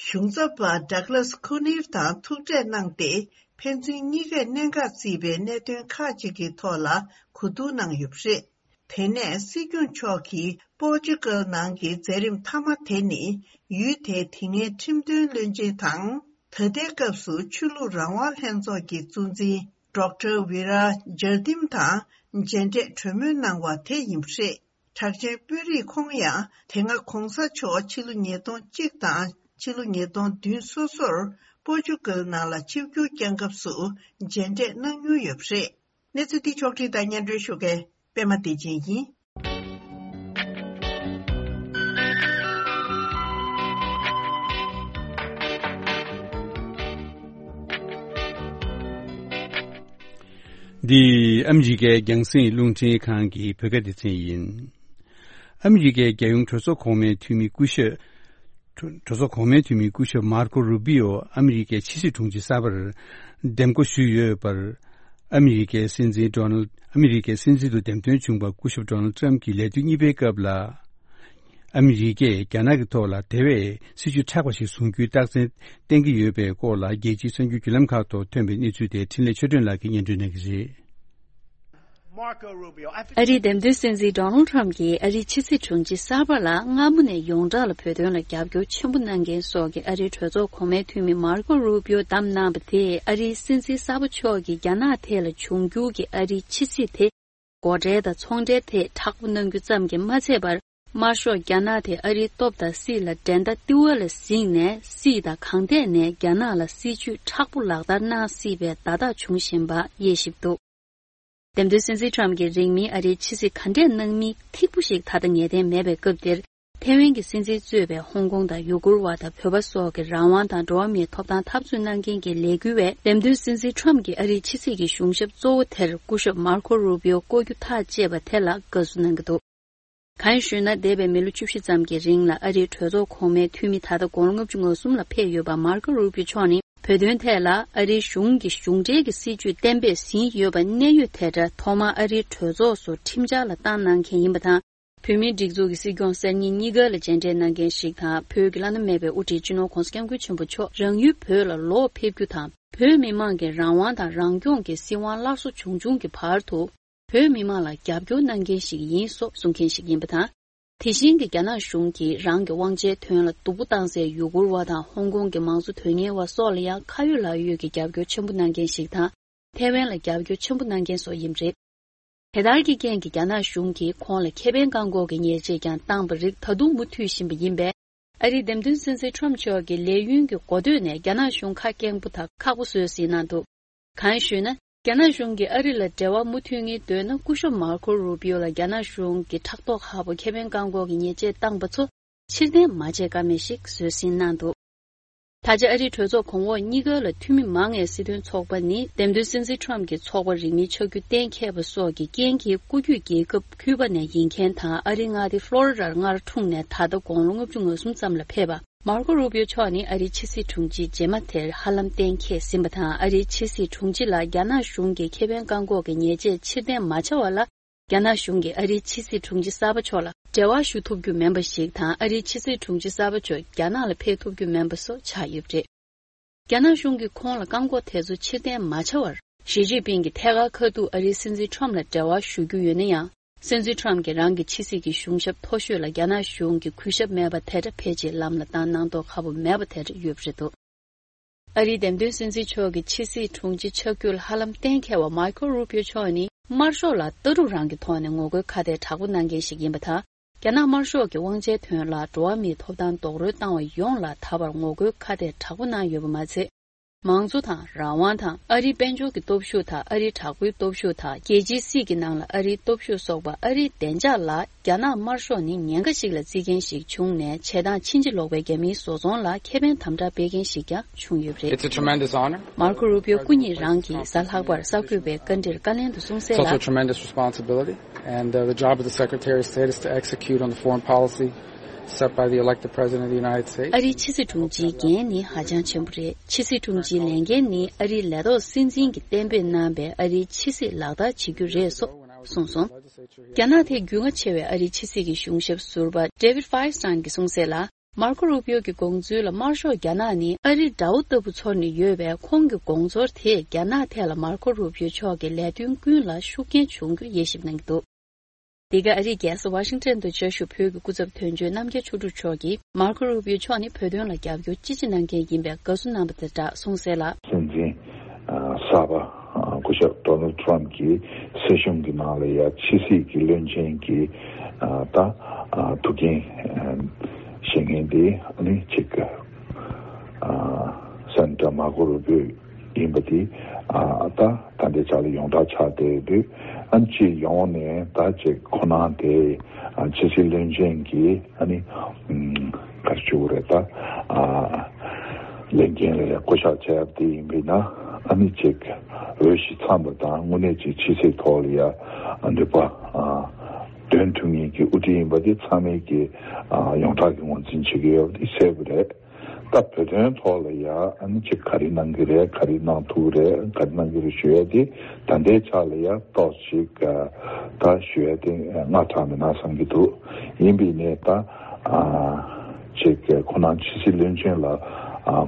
གཞུང་ཚབ་པ་ཌག་ལཱས་ཁུ་ནིར་དང་ཐུག་འཕྲད་གནང་སྟེ། ཕན་ཚུན་གཉིས་ཀས་གནད་འགག་བརྩིས་པའི་གནད་དོན་ཁག་ཅིག་གི་ཐོག་ལ་གོ་བསྡུར་གནང་ཡོད་པ་རེད། དེ་ནས་སྲིད་སྐྱོང་མཆོག་གིས་པོར་ཅུ་གལ་ནང་གི་མཛད་རིམ་མཐའ་མ་དེ་ནི། ཡུལ་དེའི་དེ་སྔའི་ཁྲིམས་དོན་བློན་ཆེན་དང་། ད་ལྟའི་སྐབས་སུ་ཆོས་ལུགས་རང་དབང་ལྷན་ཚོགས་ཀྱི་གཙོ་འཛིན་ཌོག་ཊར་ཝི་ར་ཇར་ཏིམ་དང་མཇལ་འཕྲད་གྲོས་མོལ་གནང་བ་དེ་ཡིན་པ་རེད། གྲགས་ཅན་དཔོན་རིགས་ཁོང་ཡང་དེ་སྔ་ྋགོང་ས་མཆོག་ཕྱི་ལོ་ཉིས་སྟོང་གཅིག་དང་ཕྱི་ལོ་ཉིས་སྟོང་བདུན་སོ་སོར་པོར་ཅུ་གལ་ནང་ལ་ཆིབས་བསྒྱུར་བསྐྱངས་སྐབས་སུ་མཇལ་འཕྲད་གནང་མྱོང་ཡོད་པ་རེད། གནས་ཚུལ་འདི་ཕྱོགས་སྒྲིག་དང་སྙན་སྒྲོན་ཞུ་མཁན་པད་མ་བདེ་ཆེན་ཡིན། འདི་ཨ་མི་རི་ཀའི་རྒྱང་སྲིང་རླུང་འཕྲིན་ཁང་གི་བོད་སྐད་སྡེ་ཚན་ཡིན། ཨ་མི་རི་ཀའི་རྒྱལ་ཡོངས་གྲོས་ཚོགས་གོང་མའི་འཐུས་མི་སྐུ་ཞབས། གྲོས་ཚོགས་གོང་མའི་འཐུས་མི་སྐུ་ཞབས་མར་ཀོ་རུ་པི་ཨོ་ཨ་མི་རི་ཀའི་ཕྱི་སྲིད་དྲུང་ཆེ་གསར་པར་འདེམས་བསྐོ་ཞུས་ཡོད་པར། ཨ་མི་རི་ཀའི་སྲིད་འཛིན་ཌོ་ནལ་ཨ་མི་རི་ཀའི་སྲིད་འཛིན་དུ་འདེམས་ཐོན་བྱུང་བ་སྐུ་ཞབས་ཌོ་ནལ་ཊམ་གྱི་ལས་དུས་གཉིས་པའི་སྐབས་ལ། ཨ་མི་རི་ཀས་རྒྱ་ནག་གི་ཐོག་ལ་དེ་བས་སྲིད་ཇུས་མཁྲེགས་པ་ཞིག་བཟུང་རྒྱུའི་རྟགས་མཚན་བསྟན་གྱི་ཡོད་པའི་སྐོར་ལ། རྒྱལ་སྤྱིའི་གསར་འགྱུར་བརྒྱུད་ལམ་ཁག་ཐོག་ཐོན་པའི་གནས་ཚུལ་དེ་འཕྲིན་ལས་ཆོས་སྒྲོན་ལགས་ཀྱིས་སྙན་སྒྲོན་གནང་གི་རེད། ཨ་རིའི་འདེམས་ཐོན་སྲིད་འཛིན་ཌོ་ནལ་ཊམ་གྱིས་ཨ་རིའི་ཕྱི་སྲིད་དྲུང་ཆེ་གསར་པ་ལ་སྔ་མོ་ནས་ཡོངས་གྲགས་ལ་བོད་དོན་ལ་རྒྱབ་སྐྱོར་ཆེན་པོ་གནང་མཁན་སོགས་ཀྱི་ཨ་རིའི་གྲོས་ཚོགས་གོང་མའི་འཐུས་མི་མར་ཀོ་རུ་པིའོ་བདམས་གནང་བ་དེས། ཨ་རིའི་སྲིད་འཛིན་གསར་པ་མཆོག་གིས་རྒྱ་ནག་ཐད་ལ་འབྱུང་འགྱུར་གྱི་ཨ་རིའི་ཕྱི་སྲིད་དེ། སྒོ་ཁྲལ་དང་ཚོང་འབྲེལ་ཐད་མཁྲེགས་པོ་གནང་རྒྱུ་ཙམ་གྱིས་མ་ཚད་པར། དམར་ཤོག་རྒྱ་ནག་དེ་ཨ་རིའི་སྟོབས་དང་སྲིད་ལ་འགྲན་ཟླ་ལྟེ་བ་ལ་གཟིགས་ནས། སྲིད་དང་གང་ཐད་ནས་རྒྱ་ནག་ལ་སྲིད་ཇུས་མཁྲེགས་པོ་ལག་བསྟར་གནང་སྲིད་པའི་བརྡ་རྟགས་བྱུང་བཞིན་པ་དབྱེ་ཞིབ་འདུག་འདེམས་ཐོན་སྲིད་འཛིན་ཊམ་གྱིས་རིང་མིན་ཨ་རིའི་ཕྱི་སྲིད་ག་འདྲས་གནང་མིན་ཐིག་པོ་ཞིག་ད་ལྟ་ངེས་གཏན་མེད་པའི་སྐབས་འདིར། ཐའེ་ཝན་གྱི་སྲིད་འཛིན་གཙོས་པའི་ཧོང་ཀོང་དང་ཡུ་གུར་བ་དང་བོད་པ་སོགས་ཀྱི་རང་དབང་དང་འགྲོ་བ་མིའི་ཐོབ་ཐང་འཐབ་རྩོད་གནང་མཁན་གྱི་ལས་འགུལ་བས། འདེམས་ཐོན་སྲིད་འཛིན་ཊམ་གྱིས་ཨ་རིའི་ཕྱི་སྲིད་ཀྱི་གཞུང་ཞབས་གཙོ་བོ་དེར་སྐུ་ཞབས་མར་ཁོ་རུ་པིའོ་བསྐོ་རྒྱུ་ཐག་བཅད་པ་དེ་ལ་དགའ་བསུ་གནང་གི་འདུག་གང་ཡིན་ཞུས་ན། འདས་པའི་མི་ལོ་བཅུ་བཞི་ཙམ་གྱི་རིང་ལ་ཨ་རིའི་གྲོས་ཚོགས་གོང་མའི་འཐུས་མི་ད་ལྟ་དགུང་ལོ་ལྔ་བཅུ་ང་གསུམ་ལ་ཕེབས་ཡོད་པ་མར་ཁོ་རུ་པིའོ་མཆོག་ནི། བོད་དོན་ཐད་ལ་ཨ་རིའི་གཞུང་གི་གཞུང་འབྲེལ་གྱི་སྲིད་ཇུས་གཏན་འབེབས་ཟིན་ཡོད་པ་གནད་ཡོད་དེ་འདྲ་ཐོག་མར་ཨ་རིའི་གྲོས་ཚོགས་སུ་ཁྲིམས་འཆར་ལ་བཏང་གནང་མཁན་ཡིན་པ་དང་། བོད་མིའི་སྒྲིག་འཛུགས་ཀྱི་སྲིད་སྐྱོང་གསར་རྙིང་གཉིས་ཀ་ལ་མཇལ་འཕྲད་གནང་མཁན་ཞིག་དང་། བོད་ཀྱི་བླ་ན་མེད་པའི་དབུ་ཁྲིད་སྤྱི་ནོར་༧གོང་ས་༧སྐྱབས་མགོན་ཆེན་པོ་མཆོག་རང་ཡུལ་བོད་ལ་ལོག་ཕེབས་རྒྱུ་དང་། བོད་མི་མང་གི་རང་དབང་དང་རང་སྐྱོང་གི་སྲིད་དབང་སླར་གསོ་བྱུང་བྱུང་གི་བར་དུ། བོད་མི་མང་ལ་རྒྱབ་སྐྱོར་གནང་མཁན་ཞིག་ཡིན་སོགས་གསུང་མཁན་ཞིག་ཡིན་པ་དང་། དེ་བཞིན་གྱི་རྒྱ་ནག་གཞུང་གིས་རང་གི་དབང་ཆའི་དོན་ལ་སྡུག་པོ་བཏང་སའི་ཡུ་གུར་བ་དང་ཧོང་ཀོང་གི་མང་གཙོ་དོན་གཉེར་བ་སོགས་ལ་ཡང་ཁ་ཡོད་ལག་ཡོད་ཀྱི་རྒྱབ་སྐྱོར་ཆེན་པོ་གནང་མཁན་ཞིག་དང་། ཐའེ་ཝན་ལ་རྒྱབ་སྐྱོར་ཆེན་པོ་གནང་མཁན་སོགས་ཡིན་པ་རེད། དེ་ལྟར་གྱི་རྐྱེན་གྱིས་རྒྱ་ནག་གཞུང་གིས་ཁོང་ལ་ཁེ་ཕན་བཀག་འགོག་གི་ཉེས་ཆད་ཀྱང་བཏང་བ་རིགས་ད་དུང་མུ་མཐུད་བཞིན་པ་ཡིན་པས། ཨ་རིའི་འདེམས་ཐོན་སྲིད་འཛིན་ཊམ་མཆོག་གིས་ལས་ཡུན་གྱི་འགོ་སྟོད་ནས་རྒྱ་ནག་གཞུང་ཁ་སྐྱེངས་པོ་དང་ཁག་པོ་བཟོས་ཟིན་གནང་འདུག་གང་ཞུས་ན། རྒྱ་ནག་གཞུང་གིས་ཨ་རི་ལ་འབྲེལ་བ་མུ་མཐུད་ངེས་འདོད་ན། སྐུ་ཞབས་མར་ཁོ་རུ་པིའོ་ལ་རྒྱ་ནག་གཞུང་གིས་ཕྲག་ཐོག་ཁག་པོ་ཁེ་ཕན་བཀག་འགོག་གི་ཉེས་ཆད་བཏང་པ་ཚོ་ཕྱིར་འཐེན་མ་བྱེད་ཀ་མེད་ཞིག་བཟོས་ཟིན་གནང་འདུག་ད་ཆ་ཨ་རིའི་གྲོས་ཚོགས་གོང་འོག་གཉིས་ཀ་ལ་འཐུས་མི་མང་བའི་སྲིད་དོན་ཚོགས་པ་ནི། འདེམས་ཐོན་སྲིད་འཛིན་ཊམ་གྱི་ཚོགས་པ་རིང་མིན་ཆགས་རྒྱུ་གཏན་འཁེལ་བ་སོགས་ཀྱི་རྐྱེན་གྱིས། སྐུ་རྒྱུད་རྒྱལ་ཁབ་ཁྱུ་པ་ནས་ཡིན་མཁན་དང་། ཨ་རིའི་མངའ་སྡེ་ཕློ་རི་ཌར་མངའ་འཁྲུངས་ནས་ད་ལྟ་དགུང་ལོ་ལྔ་བཅུ་ང་གསུམ་ཙམ་ལ་ཕེབས་པ། མར་ཁོ་རུ་པིའོ་མཆོག་ནི་ཨ་རིའི་ཕྱི་སྲིད་དྲུང་ཆེ་རྗེས་མ་དེར་ཧ་ལམ་གཏན་འཁེལ་ཟིན་པ་དང་། ཨ་རིའི་ཕྱི་སྲིད་དྲུང་ཆེ་ལ་རྒྱ་ནག་གཞུང་གིས་ཁེ་ཕན་བཀག་འགོག་གི་ཉེས་ཆད་ཕྱིར་འཐེན་མ་བྱ་བ་ལ། རྒྱ་ནག་གཞུང་གིས་ཨ་རིའི་ཕྱི་སྲིད་དྲུང་ཆེ་གསར་པ་མཆོག་ལ་འབྲེལ་བ་ཞུ་ཐུབ་རྒྱུ་མིན་པ་ཞིག་དང་། ཨ་རིའི་ཕྱི་སྲིད་དྲུང་ཆེ་གསར་པ་མཆོག་རྒྱ་ནག་ལ་ཕེབས་ཐུབ་རྒྱུ་མིན་པ་སོགས་ཆགས་ཡོད་པ་རེད། རྒྱ་ནག་གཞུང་གིས་ཁོང་ལ་བཀག་འགོག་དེ་ཚོ་ཕྱིར་འཐེན་མ་བྱ་བར། ཞི་ཅིན་ཕིང་གིས་ཐད་ཀར་ཁ་ཐུག་ཨ་རིའི་སྲིད་འཛིན་ཁྲོམ་ལ་འབྲེལ་བ་ཞུ་རྒྱུ་ཡོད་ན་ཡང་། སྲིད་འཛིན་ཁྲོམ་གྱིས་རང་གི་ཕྱི་སྲིད་ཀྱི་གཞུང་ཞབས་མཐོ་ཤོས་ལ་རྒྱ་ནག་གཞུང་གི་གུས་ཞབས་མེད་པ་དེ་འདྲ་ཕལ་ཆེར་ལམ་ལ་བཏང་གནང་མདོག་ཁ་པོ་མེད་པ་དེ་འདྲ་ཡོད་པ་རེད་འདུག་ཨ་རིའི་འདེམས་ཐོན་སྲིད་འཛིན་མཆོག་གི་ཕྱི་སྲིད་དྲུང་ཆེ་ཆགས་རྒྱུ་ལ་ཧ་ལམ་གཏན་འཁེལ་བ་མར་ཁོ་རུ་པིའོ་མཆོག་ནི་དམར་ཤོག་ལ་ལྟ་གྲུབ་རང་གི་ཐོག་ནས་ངོ་རྒོལ་ཁ་གཏད་དྲག་པོ་གནང་མཁན་ཞིག་ཡིན་པ་དང་། རྒྱ་ནག་དམར་ཤོག་གི་དབང་ཆའི་དོན་ལ་འགྲོ་བ་མིའི་ཐོབ་ཐང་རྡོག་རོལ་བཏང་བ་ཡོངས་ལ་ད་བར་ངོ་རྒོལ་ཁ་གཏད་དྲག་པོ་གནང་ཡོད་པ་མ་ཚད། མང་གཙོ་དང་རང་དབང་དང་། ཨ་རིའི་དཔལ་འབྱོར་གྱི་སྟོབས་ཤུགས་དང་། ཨ་རིའི་དྲག་པོའི་སྟོབས་ཤུགས་དང་། རྒྱལ་སྤྱིའི་སྲིད་ཀྱི་ནང་ལ་ཨ་རིའི་སྟོབས་ཤུགས་སོགས་པ། ཨ་རིའི་བདེ་འཇགས་ལ་རྒྱ་ནག་དམར་ཤོག་ནི་ཉེན་ཁ་ཞིག་ལ་བརྩི་མཁན་ཞིག་བྱུང་ནས། བྱེད་སྟངས་ཕྱིན་ཅི་ལོག་པའི་རྒྱ་མིའི་བཟོ་ཚོང་ལ་ཁེ་ཕན་དམ་དྲག་སྤེལ་མཁན་ཞིག་ཀྱང་བྱུང་ཡོད་པ་རེད། It's a tremendous honor. མར་ཁོ་རུ་པིའོ་སྐུ་ཉིད་རང་གིས་གཟའ་ལྷག་པར་གསར་འགོད་པའི་བཀའ་འདྲིར་བཀའ་ལན་དུ་གསུངས་གསལ་ལ། It's also a tremendous responsibility, and, uh, the job of the Secretary of State is to execute on the foreign policy set by the elected President of the United States. ཨ་རིའི་ཕྱི་སྲིད་དྲུང་ཆེའི་འགན་ནི་ཧ་ཅང་ཆེན་པོ་རེད། ཕྱི་སྲིད་དྲུང་ཆེའི་ལས་འགན་ནི་ཨ་རིའི་ལས་ཐོག་སྲིད་འཛིན་གྱིས་གཏན་འབེབས་གནང་བའི་ཨ་རིའི་ཕྱི་སྲིད་ལག་བསྟར་བྱེད་རྒྱུ་རེད་སོགས་གསུངས་སོང་། རྒྱ་ནག་ཐད་རྒྱུས་མངའ་ཆེ་བའི་ཨ་རིའི་ཕྱི་སྲིད་ཀྱི་གཞུང་ཞབས་ཟུར་པ་David Feinstein་གྱིས་གསུངས་གསལ་ལ། མར་ཁོ་རུ་པིའོ་གི་དགོངས་ཚུལ་ལ། དམར་ཤོག་རྒྱ་ནག་ནི་ཨ་རི་དགྲ་བོ་ལྟ་བུ་ཚོར་ནས་ཡོད་པས། ཁོང་གི་དགོངས་ཚོར་དེས་རྒྱ་ནག་ཐད་ལ་མར་ཁོ་རུ་པིའོ་མཆོག་གི་ལས་དོན་ཀུན་ལ་ཤུགས་རྐྱེན་འབྱུང་རྒྱུར་དབྱེ་ཞིབ་གནང་གི་འདུག་འདི་ག་ཨ་རིའི་རྒྱལ་ས་ཝ་ཤིང་ཊོན་དུ་བཅའ་བཞུགས་བོད་ཀྱི་སྐུ་ཚབ་དོན་གཅོད་རྣམ་རྒྱལ་ཆོས་དྲུག་མཆོག་གིས། མར་ཁོ་རུ་པིའོ་མཆོག་ནི་བོད་དོན་ལ་རྒྱབ་སྐྱོར་ཅི་ཆེ་གནང་མཁན་ཡིན་པས་དགའ་བསུ་གནང་བ་དང་སྦྲགས་གསུངས་གསལ་ལ། སྲིད་འཛིན་གསར་པ་སྐུ་ཞབས་ཌོ་ནལ་ཊམ་གྱི་སྲིད་གཞུང་གི་ནང་ལ་ཡ་ཕྱི་སྲིད་ཀྱི་བློན་ཆེན་གྱི་ད་ཐུགས་འགན་བཞེས་མཁན་དེ་ནི་གཅིག་སེ་ནེ་ཊར་མར་ཁོ་རུ་པིའོ་ཡིན་པ་དེ་ ཨ་ད་ད་ལྟའི་ཆ་ལ་ཡོངས་གྲགས་ཆགས་བསྡད་དུས། ཨ་ནི་ཅིག་ཡོང་ནས་ད་ཅིག་ཁོ་ན་དེ་ཨ་ཕྱི་སྲིད་བློན་ཆེན་གྱིས་ཨ་ནི་ཨམ་ག་རེ་ཞུ་དགོས་རེད། ད་ཨ་ལས་འགན་ལ་ཡ་བསྐོ་གཞག་བྱས་པ་དེ་ཡིན་པས་ན། ཨ་ནི་ཅིག་འོས་གཞི་འཚམས་པ་དང་དངོས་གནས་ཅིག་ཕྱི་སྲིད་ཐོག་ལ་ཡ་ཨ་འདོད་པ་ཨ་འདོན་ཐུབ་མཁན་གྱི་དབུ་ཁྲིད་ཡིན་པ་དེ་ཚང་མས་ཀྱི་ཨ་ཡོངས་གྲགས་ཀྱི་ངོས་འཛིན་བྱེད་ཀྱི་ཡོད་པ་དེ་གསལ་པོ་རེད། ད་བོད་དོན་ཐོག་ལ་ཡ་ཨ་ནི་ཅིག་ག་རེ་གནང་གི་རེད། ག་རེ་གནང་ཐུབ་རེད། ག་རེ་གནང་གི་རེད་ཞུ་ཡ་དེ་ད་ལྟའི་ཆ་ལ་ཡ་ཏོག་ཅིག་ཨ་ད་ཞུ་ཡ་དེ་སྔ་དྲགས་མེད་ན་བསམ་གྱི་འདུག་ཡིན་པའི་ནས་ད་ཨ་ཅིག་ཁོ་ན་ཕྱི་སྲིད་བློན་ཆེན་ལ་ཨ་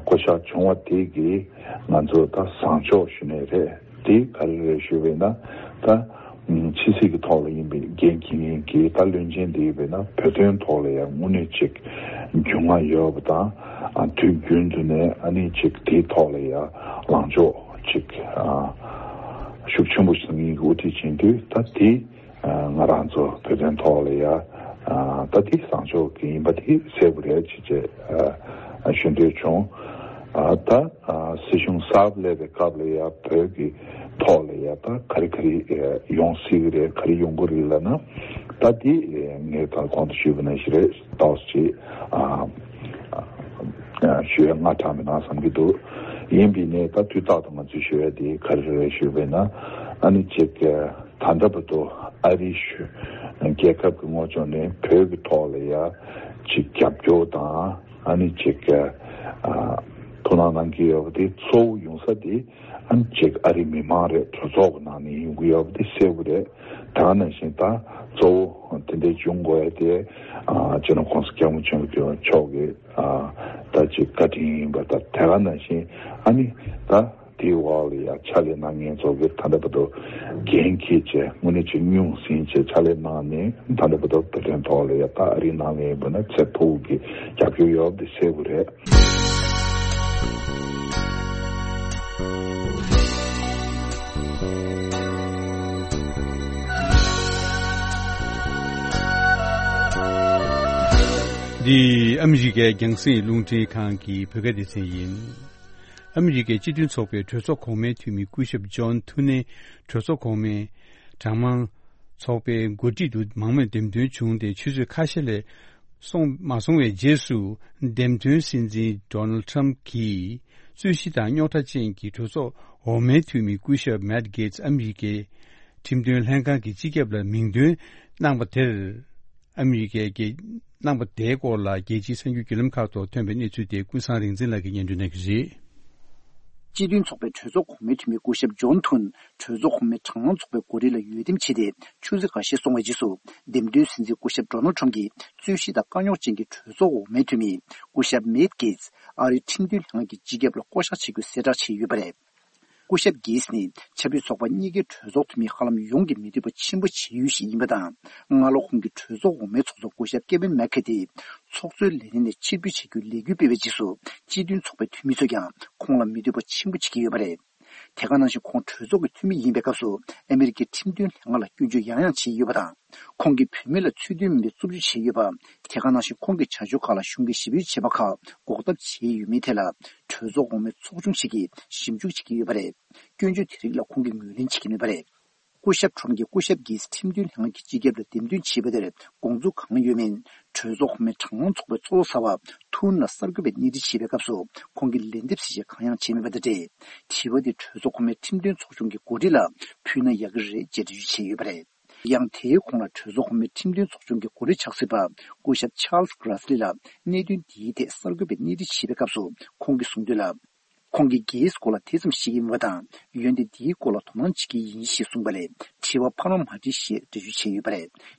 བསྐོ་གཞག་བྱུང་བ་དེ་གིས་ང་ཚོ་ད་བཟང་ཕྱོགས་ཞུ་ནས་རེད། དེ་ག་རེ་རེད་ཞུས་པས་ན། ད་ཕྱི་སྲིད་ཀྱི་ཐོག་ལ་ཡིན་པའི་འགན་འཁྱེར་མཁན་གྱི་ད་བློན་ཆེན་དེ་ཡིན་པས་ན། བོད་དོན་ཐོག་ལ་ཡང་དངོས་གནས་ཅིག་རྒྱུས་མངའ་ཡོད་པ་དང་། ཨ་དུས་རྒྱུན་དུ་ནས་ཨ་ནི་ཅིག་དེའི་ཐོག་ལ་ཡང་ལངས་ཕྱོགས་ཅིག་ཨ་ཤུགས་ཆེན་པོ་བཟུང་མཁན་གྱི་དབུ་ཁྲིད་ཡིན་དུས། ད་དེ་ཨ་ང་རང་ཚོ་བོད་དོན་ཐོག་ལ་ཡང་ཨ་ད་དེ་བཟང་ཕྱོགས་ཀྱི་ཡིན་པ་དེ་གསལ་པོ་རེད་ཅེས་ཨ་ཞུ་འདོད་བྱུང་། ཨ་ད་ཨ་སྲིད་གཞུང་གསར་པ་སླེབས་པའི་སྐབས་ལ་ཡ་བོད་ཀྱི་ཐོག་ལ་ཡ་ད་ག་རེ་ག་རེ་ཨ་ཡོང་སྲིད་ཀྱི་རེད། ག་རེ་ཡོང་གི་རེད་ལབ་ན། ད་དེ་ཨ་ངས་ད་གོང་དུ་ཞུས་པ་ནང་བཞིན་རེད། ཏོག་ཙམ་ཅིག་ཨ་ཨ་ཞུ་ཡ་སྔ་དྲགས་མེད་ན་བསམ་གྱི་འདུག་ཡིན་པའི་ནས་ད་དུས་རྟག་ཏུ་ང་ཚོས་ཞུ་ཡ་དེ་ག་རེ་རེད་ཞུས་པས་ན། ཨ་ནི་ཅིག་ཨ་ད་ལྟ་བར་དུ་ཨ་རི་གཞུང་རྒྱལ་ཁབ་ཀྱི་ངོས་ཕྱོགས་ནས་བོད་ཀྱི་ཐོག་ལ་ཡ་ཅིག་རྒྱབ་སྐྱོར་དང་། ཨ་ནི་ཅིག་ཨ་ཐུགས་སྣང་གནང་གི་ཡོད་པ་དེ་གཙོ་བོ་ཡོང་ས་དེ་ཨ་ནི་ཅིག་ཨ་རིའི་མི་མང་རེད། གྲོས་ཚོགས་ཀྱི་ནང་ནས་ཡོང་གི་ཡོད་པ་དེ་གསལ་པོ་རེད། དེ་ག་ནང་བཞིན་ད་གཙོ་བོ་དེ་འདྲའི་བྱུང་དགོས་ཡ་དེ་ཨ་སྤྱི་ནོར་༸གོང་ས་༸སྐྱབས་མགོན་ཆེན་པོ་མཆོག་གི་ཨ་ད་ཅིག་བཀའ་དྲིན་ཡིན་པ་དང་། དེ་ག་ནང་བཞིན་ཨ་ནི་ད་དེའི་འོག་ལ་ཡ་ཕྱག་ལས་གནང་མཁན་ཚོ་གིས་ད་ལྟ་བར་དུ་འགན་འཁྱེར་བྱས། དངོས་གནས་ཅིག་སྙུང་ཟིང་བྱས་ཕྱག་ལས་གནང་ནས། ད་ལྟ་བར་དུ་བོད་དོན་ཐོག་ལ་ཡ་ད་ཨ་རིའི་ནང་ལ་ཡིན་པ་ན་ཚད་མཐོ་པོ་གི་རྒྱབ་སྐྱོར་ཡོད་པ་དེ་གསལ་པོ་རེད། འདི་ཨ་མི་རི་ཀའི་རྒྱང་སྲིང་རླུང་འཕྲིན་ཁང་གི་བོད་སྐད་སྡེ་ཚན་ཡིན། ཨ་མི་རི་ཀའི་སྤྱི་མཐུན་ཚོགས་པའི་གྲོས་ཚོགས་གོང་མའི་འཐུས་མི་སྐུ་ཞབས་ཇོན་ཐུ་ནེ་གྲོས་ཚོགས་གོང་མའི་གྲངས་མང་ཚོགས་པའི་འགོ་ཁྲིད་དུ་མང་མོས་འདེམས་ཐོན་བྱུང་སྟེ། ཆུ་ཚོད་ཁ་ཤས་ལས་སོང་མ་སོང་བའི་རྗེས་སུ། འདེམས་ཐོན་སྲིད་འཛིན་ཌོ་ནལ་ཊམ་གྱིས་རྩོད་གཞི་དང་རྙོག་དྲ་ཅན་གྱི་གྲོས་ཚོགས་འོག་མའི་འཐུས་མི་སྐུ་ཞབས་མེཊ་གེ་ཊི་ཨ་མི་རི་ཀའི་ཁྲིམས་དོན་ལྷན་ཁང་གི་སྤྱི་ཁྱབ་ལ་མིང་འདོན་གནང་བ་དེར། ཨ་མི་རི་ཀའི་གནང་བ་དེའི་སྐོར་ལ་རྒྱལ་སྤྱིའི་གསར་འགྱུར་བརྒྱུད་ལམ་ཁག་ཐོག་ཐོན་པའི་གནས་ཚུལ་དེ་ཀུན་བཟང་རིག་འཛིན་ལགས་ཀྱིས་སྙན་སྒྲོན་གནང་གི་རེད། སྤྱི་མཐུན་ཚོགས་པའི་གྲོས་ཚོགས་གོང་མའི་འཐུས་མི་སྐུ་ཞབས་ཇོན་ཐུན་གྲོས་ཚོགས་གོང་མའི་གྲངས་མང་ཚོགས་པའི་གོ་སྒྲིག་ལ་འོས་འདེམས་བྱས་ཏེ། ཆུ་ཚོད་འགའ་ཤས་སོང་བའི་རྗེས་སུ། འདེམས་ཐོན་སྲིད་འཛིན་སྐུ་ཞབས་ཌོ་ནལ་ཊམ་གྱིས་རྩོད་གཞི་དང་དཀའ་རྙོག་ཅན་གྱི་གྲོས་ཚོགས་འོག་མའི་འཐུས་མི་སྐུ་ཞབས་མེཊ་གེ་ཊི་ཨ་རིའི་ཁྲིམས་དོན་ལྷན་ཁང་གི་སྤྱི་ཁྱབ་ལ་བསྐོ་གཞག་བྱེད་རྒྱུ་གསལ་བསྒྲགས་བྱས་ཡོད་པ་རེད། སྐུ་ཞབས་གེ་ཊི་ནི་ཆབ་སྲིད་ཚོགས་པ་གཉིས་ཀའི་གྲོས་ཚོགས་འཐུས་མི་ཧ་ལམ་ཡོངས་ཀྱི་མི་འདོད་པ་ཆེན་པོ་བྱེད་ཡུལ་ཞིག་ཡིན་པ་དང་། སྔ་ལོ་ཁོང་གིས་གྲོས་ཚོགས་འོག་མའི་ཚོགས་གཙོ་སྐུ་ཞབས་ཀེ་ཝིན་མེག་ཁེ་ཊི་ཚོགས་གཙོའི་ལས་རིམ་ནས་ཕྱིར་འབུད་བྱ་རྒྱུའི་ལས་འགུལ་སྤེལ་བའི་རྗེས་སུ། སྤྱི་མཐུན་ཚོགས་པའི་འཐུས་མི་ཚོས་ཀྱང་ཁོང་ལ་མི་འདོད་པ་ཆེན་པོ་བྱེད་ཀྱི་ཡོད་པ་རེད། དེ་ག་ནང་བཞིན་ཁོང་གྲོས་ཚོགས་ཀྱི་འཐུས་མི་ཡིན་པའི་སྐབས་སུ། ཨ་མི་རི་ཀའི་ཁྲིམས་དོན་ལྷན་ཁང་ལ་སྐྱོན་བརྗོད་ཡང་ཡང་བྱས་ཡོད་པ་དང་། ཁོང་གིས་བུད་མེད་ལ་ཚུལ་མཐུན་མིན་པའི་རྩུབ་སྤྱོད་བྱས་ཡོད་པ། དེ་ག་ནང་བཞིན་ཁོང་གི་བྱ་སྤྱོད་ཁག་ལ་གཞུང་གིས་ཞིབ་འཇུག་བྱས་པ་ཁག་འགོག་ཐབས་བྱས་ཡོད་མེད་ཐད་ལ། གྲོས་ཚོགས་འོག་མའི་ཚོགས་ཆུང་ཞིག་གིས་ཞིབ་འཇུག་བྱེད་ཀྱི་ཡོད་པ་རེད། སྐྱོན་བརྗོད་དེ་རིགས་ལ་ཁོང་གིས་ངོས་ལེན་བྱེད་ཀྱི་མེད་པ་རེད། སྐུ་ཞབས་ཁྲོམ་གྱིས་སྐུ་ཞབས་གེ་ཊི་ཁྲིམས་དོན་ལྷན་ཁང་གི་སྤྱི་ཁྱབ་ལ་འདེམས་ཐོན་བྱས་པ་དེར་དགོངས་ཚུལ་གང་ཡོད་མིན། གྲོས་ཚོགས་གོང་མའི་གྲངས་མང་ཚོགས་པའི་ཚོགས་གཙོ་གསར་པ་ཐུན་ལ་གསར་འགོད་པས་སྣེ་ཁྲིད་བྱས་པའི་སྐབས་སུ། ཁོང་གིས་ལན་འདེབས་གཟིགས་ཞིབ་གང་ཡང་བྱས་མེད་པ་དང་འབྲེལ། དྲི་བ་དེ་གྲོས་ཚོགས་གོང་མའི་ཁྲིམས་དོན་ཚོགས་ཆུང་གི་གོ་སྒྲིག་ལ་ཕུལ་ན་ཡག་གི་རེད་ཅེས་འགྲེལ་བརྗོད་བྱས་ཡོད་པ་རེད། ཡང་དེའི་གོང་ལ་གྲོས་ཚོགས་གོང་མའི་ཁྲིམས་དོན་ཚོགས་ཆུང་གི་གོ་སྒྲིག་ཕྱག་སྲིད་པ་སྐུ་ཞབས་ཆཱལ་སི་གྷི་རེ་སི་ལི་ལ་གནད་དོན་འདིའི་ཐད་གསར་འགོད་པས་སྣེ་ཁྲིད་བྱས་པའི་སྐབས་སུ། ཁོང་གིས་གསུངས་དོན་ལ། ཁོང་གིས་གེ་ཊི་སྐོར་ལ་དེ་ཙམ་ཤེས་ཀྱི་མེད་པ་དང་། འོན་ཏེ་འདིའི་སྐོར་ལ་དོ་སྣང་བྱེད་ཀྱི་ཡིན་ཞེས་གསུངས་པ་ལས། དྲི་བ་ཕར་མ་མ་དྲིས་ཞེས་འགྲེལ་བརྗོད་བྱས་ཡོད་པ་རེད།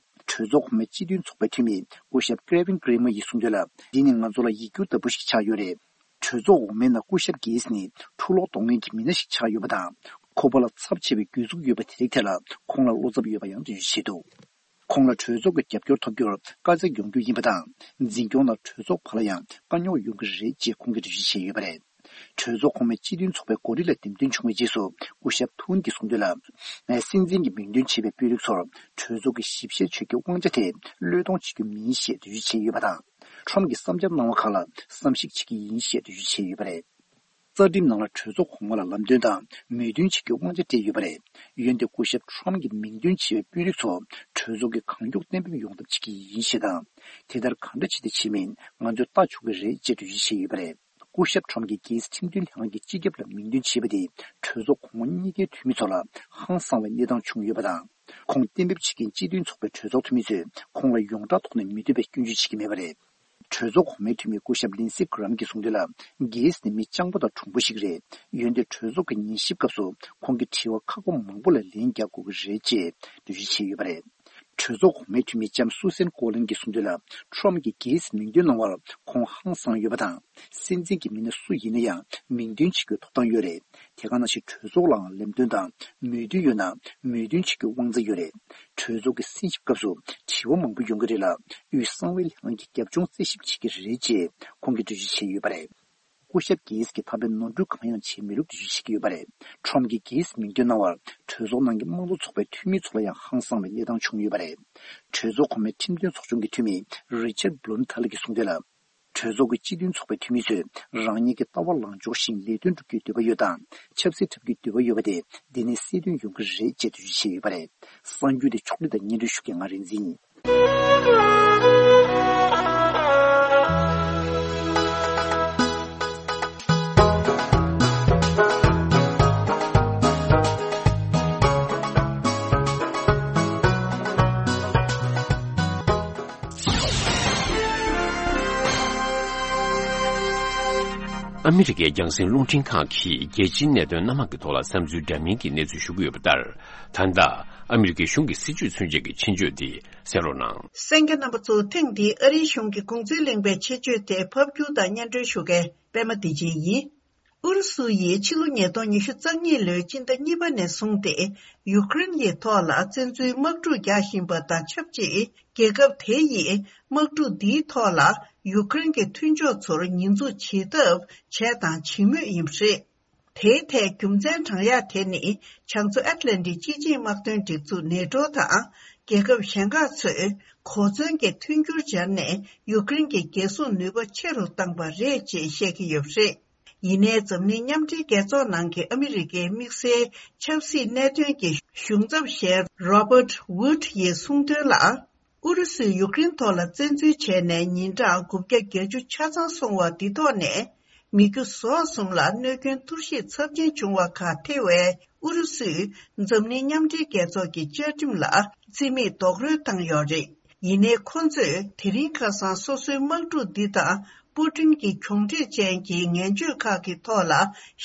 གྲོས་ཚོགས་གོང་མའི་སྤྱི་མཐུན་ཚོགས་པའི་འཐུས་མི་སྐུ་ཞབས་ཀེ་ཝིན་ཀྲེ་མ་ཡིས་གསུངས་དོན་ལ། འདི་ནི་ང་ཚོ་ལ་ཡིག་སྒྱུར་ལྟ་བུ་ཞིག་ཆགས་ཡོད་རེད། གྲོས་ཚོགས་འོག་མའི་ནང་སྐུ་ཞབས་གེ་ཊི་ནི་འཁྲུག་ལོག་གཏོང་མཁན་གྱི་མི་སྣ་ཞིག་ཆགས་ཡོད་པ་དང་། ཁོ་པ་ལ་ཚབས་ཆེ་བའི་གྱོད་འཛུགས་ཡོད་པ་དེ་རིགས་ཐད་ལ་ཁོང་ལ་བློ་འཚབ་ཡོད་པ་ཡང་འགྲེལ་བརྗོད་བྱས་འདུག་ཁོང་ལ་གྲོས་ཚོགས་ཀྱི་རྒྱབ་སྐྱོར་ཐོབ་རྒྱུར་དཀའ་ཚེགས་ཡོང་རྒྱུ་ཡིན་པ་དང་། འཛིན་སྐྱོང་ནང་གྲོས་ཚོགས་བར་ལ་ཡང་དཀའ་རྙོག་ཡོང་གི་རེད་ཅེས་ཁོང་གིས་འགྲེལ་བརྗོད་བྱས་ཡོད་པ་རེད། གྲོས་ཚོགས་གོང་མའི་སྤྱི་མཐུན་ཚོགས་པའི་གོ་སྒྲིག་ལ་འདེམས་ཐོན་བྱུང་བའི་རྗེས་སུ། སྐུ་ཞབས་ཐུན་གྱིས་གསུངས་དོན་ལ། སྲིད་འཛིན་གྱི་མིང་འདོན་བྱས་པའི་དཔོན་རིགས་ཚོར་གྲོས་ཚོགས་ཀྱི་ཞིབ་བཤེར་བྱ་རྒྱུའི་དབང་ཆ་དེ་བློས་གཏོང་བྱེད་རྒྱུ་མིན་ཞེས་འགྲེལ་བརྗོད་བྱས་ཡོད་པ་དང་། ཁྲོམ་གྱི་བསམ་འཆར་གནང་བ་ཁག་ལ་བསམ་གཞིག་བྱེད་ཀྱི་ཡིན་ཞེས་འགྲེལ་བརྗོད་བྱས་ཡོད་པ་རེད། རྩ་ཁྲིམས་ནང་ལ་གྲོས་ཚོགས་གོང་མ་ལ་ལམ་སྟོན་དང་མོས་མཐུན་བྱེད་རྒྱུའི་དབང་ཆ་སྤྲད་ཡོད་པ་རེད། འོན་ཏེ་སྐུ་ཞབས་ཁྲོམ་གྱིས་མིང་འདོན་བྱས་པའི་དཔོན་རིགས་ཚོ་གྲོས་ཚོགས་ཀྱིས་གང་མགྱོགས་གཏན་འབེབས་ཡོང་ཐབས་བྱེད་ཀྱི་ཡིན་ཞེས་དང་། དེ་ལྟར་གང་འདྲ་བྱས་ཏེ་བྱེད་མིན་ང་ཚོས་ལྟ་ཆོག་གི་རེད་ཅེས་འགྲེལ་བརྗོད་བྱས་ཡོད་པ་རེད། སྐུ་ཞབས་ཁྲོམ་གྱིས་རྒྱལ་སྲིད་ཁྲིམས་དོན་ལྷན་ཁང་གི་སྤྱི་ཁྱབ་ལ་མིང་འདོན་བྱས་པ་དེས་གྲོས་ཚོགས་གོང་མ་གཉིས་ཀའི་འཐུས་མི་ཚོ་ལ་ཧང་སངས་པའི་གནས་སྟངས་བྱུང་ཡོད་པ་དང་། ཁོང་གཏན་འབེབས་བྱེད་མཁན་སྤྱི་མཐུན་ཚོགས་པའི་གྲོས་ཚོགས་འཐུས་མི་ཚོས་ཁོང་ལ་ཡོངས་གྲགས་ཐོག་ནས་མི་འདོད་པའི་སྐྱོན་བརྗོད་བྱེད་ཀྱི་མེད་པ་རེད། གྲོས་ཚོགས་གོང་མའི་འཐུས་མི་སྐུ་ཞབས་ལིན་སི་གྷི་རམ་གྱིས་གསུངས་དོན་ལ། གེ་སི་ནི་མི་སྤྱང་པོ་དང་གྲུང་པོ་ཞིག་རེད། འོན་ཏེ་གྲོས་ཚོགས་ཀྱི་ཉན་ཞིབ་སྐབས་སུ་ཁོང་གིས་དྲི་བ་ཁག་པོ་མང་པོ་ལ་ལན་རྒྱག་དགོས་ཀྱི་རེད་ཅེས་འགྲེལ་བརྗོད་བྱས་ཡོད་པ་རེད། གྲོས་ཚོགས་གོང་མའི་འཐུས་མི་ལྕམ་སུ་སན་ཀོ་ལིན་གྱིས་གསུངས་དོན་ལ། ཁྲོམ་གྱིས་གེ་སི་མིང་འདོན་གནང་བར་ཁོང་ཧང་སངས་ཡོད་པ་དང་། སྲིད་འཛིན་གྱི་མི་སྣ་སུ་ཡིན་ན་ཡང་མིང་འདོན་བྱེད་རྒྱུའི་ཐོབ་ཐང་ཡོད་རེད། དེ་ག་ནང་བཞིན་གྲོས་ཚོགས་ལའང་ལམ་སྟོན་དང་མོས་མཐུན་ཡོད་ན་མོས་མཐུན་བྱེད་རྒྱུའི་དབང་ཆ་ཡོད་རེད། གྲོས་ཚོགས་ཀྱི་གསན་ཞིབ་སྐབས་སུ་དྲི་བ་མང་པོ་ཡོང་གི་རེད་ལ། དབུས་གསང་བའི་ལྷན་ཁང་གིས་རྒྱབ་ལྗོངས་རྩད་ཞིབ་བྱེད་ཀྱི་རེད་ཅེས་ཁོང་གིས་འགྲེལ་བརྗོད་བྱས་ཡོད་པ་རེད། སྐུ་ཞབས་གེ་སི་གིས་ད་ཕན་ནོར་འཁྲུལ་གང་ཡང་བྱས་མེད་ལུགས་འགྲེལ་བརྗོད་བྱེད་ཀྱི་ཡོད་པ་རེད། ཁྲོམ་གྱིས་གེ་སི་མིང་འདོན་གནང་བར་གྲོས་ཚོགས་ནང་གི་དམངས་གཙོ་ཚོགས་པའི་འཐུས་མི་ཚོ་ལ་ཡང་ཧང་སངས་པའི་གནས་སྟངས་བྱུང་ཡོད་པ་རེད། གྲོས་ཚོགས་གོང་མའི་ཁྲིམས་དོན་ཚོགས་ཆུང་གི་འཐུས་མི་རི་ཆར་བྷུ་ལུམ་ཐལ་གྱིས་གསུངས་དོན་ལ། གྲོས་ཚོགས་ཀྱི་སྤྱི་མཐུན་ཚོགས་པའི་འཐུས་མི་ཚོས་རང་ཉིད་ཀྱི་ལྟ་བ་ལངས་ཕྱོགས་བཞིན་ལས་དོན་སྒྲུབ་རྒྱུའི་འདོད་པ་ཡོད་དང་། ཆབ་སྲིད་འཁྲབ་རྒྱུའི་འདོད་པ་ཡོད་པ་དེ་འདི་ནས་གསལ་སྟོན་ཡོང་གི་རེད་ཅེས་འགྲེལ་བརྗོད་བྱས་ཡོད་པ་རེད། གསར་འགྱུར་དེ་ཕྱོགས་སྒྲིག་དང་སྙན་སྒྲོན་ཞུ་མཁན་ང་རིག་འཛིན་ཡིན། ཨ་མི་རི་ཀའི་རྒྱང་སྲིང་རླུང་འཕྲིན་ཁང་གིས་རྒྱལ་སྤྱིའི་གནད་དོན་སྣ་མང་གི་ཐོག་ལ་བསམ་ཚུལ་འདྲ་མིན་གྱི་གནས་ཚུལ་ཞུ་གི་ཡོད་པ་ལྟར། ད་ལྟ་ཨ་མི་རི་ཀའི་གཞུང་གི་སྲིད་བྱུས་མཚོན་ཆེད་ཀྱི་ཆེད་བརྗོད་འདི་གསན་རོགས་གནང་། གསན་མཁན་རྣམ་པ་ཚོ། ཐེངས་འདིའི་ཨ་རིའི་གཞུང་གི་གུང་ཚིགས་གླེང་པའི་ཆེད་བརྗོད་དེ་ཕབ་སྒྱུར་དང་སྙན་སྒྲོན་ཞུ་མཁན་པད་མ་བདེ་ཆེན་ཡིན། ཨུ་རུ་སུ་ཡིས་ཕྱི་ལོ་ཉིས་སྟོང་ཉི་ཤུ་རྩ་གཉིས་ལོའི་སྤྱི་ཟླ་གཉིས་པ་ནས་བཟུང་སྟེ་ཡུཀ་རེན་གྱི་ཐོག་ལ་བཙན་འཛུལ་དམག་འཁྲུག་རྒྱག་བཞིན་པ་དང་ཆབས་ཅིག་རྒྱལ་ཁབ་དེ་ཡིས་དམག་འཁྲུག་འདིའི་ཐོག་ལ་ཡུཀ་རེན་གྱི་མཐུན་ཕྱོགས་ཚོར་ཉེས་འཛུགས་བྱེད་ཐབས་བྱས་དང་བྱེད་མུས་ཡིན་པ་རེད། དེའི་ཐད་རྒྱུ་མཚན་དྲངས་ཡག་དེ་ནི་བྱང་མཚོ་ཨེཊ་ལན་ཊིག་སྤྱི་ཆིངས་དམག་དོན་སྒྲིག་འཛུགས་ནེ་ཊོ་དང་རྒྱལ་ཁབ་གཞན་ཁག་ཚོས་གོ་མཚོན་གྱི་མཐུན་འགྱུར་སྦྱར་ནས་ཡུཀ་རེན་གྱི་རྒྱལ་སྲུང་ནུས་པ་ཆེ་རུ་བཏང་པ་རེད་ཅེས་བཤད་ཀྱི་ཡོད་པ་རེད། ཡིན་ནའི་འཛམ་གླིང་མཉམ་འབྲེལ་རྒྱལ་ཚོགས་ནང་གི་ཨ་མི་རི་ཀའི་དམིགས་བསལ་ཆབ་སྲིད་གནད་དོན་གྱི་གཞུང་ཚབ་ཞལ་Robert Wood ཡིས་གསུངས་དོན་ལ། ཨུ་རུ་སུས་ཡུཀ་རེན་ཐོག་ལ་བཙན་འཛུལ་བྱས་ནས་ཉིན་གྲངས་དགུ་བརྒྱ་བརྒྱད་ཅུ་ཆ་ཚང་སོང་བ་འདི་ཐོག་ནས། མི་རྒྱུ་ཟོག་གསུམ་ལ་གནོད་སྐྱོན་གཏོར་བཤིག་ཚབས་ཆེན་བྱུང་བ་ཁག་ཐེ་བའི་ཨུ་རུ་སུས་འཛམ་གླིང་མཉམ་འབྲེལ་རྒྱལ་ཚོགས་ཀྱི་བཅའ་ཁྲིམས་ལ་རྩིས་མེད་རྡོག་རོལ་བཏང་ཡོད་རེད། ཡིན་ནའི་ཁོ་ཚོས་དེ་རིང་ཁ་སང་སོ་སོའི་དམག་འཁྲུག་འདི་དང་པུ་ཀྲིན་གྱི་གྱོང་འབྲེལ་ཅན་གྱི་ངན་བྱུས་ཁག་གི་ཐོག་ལ་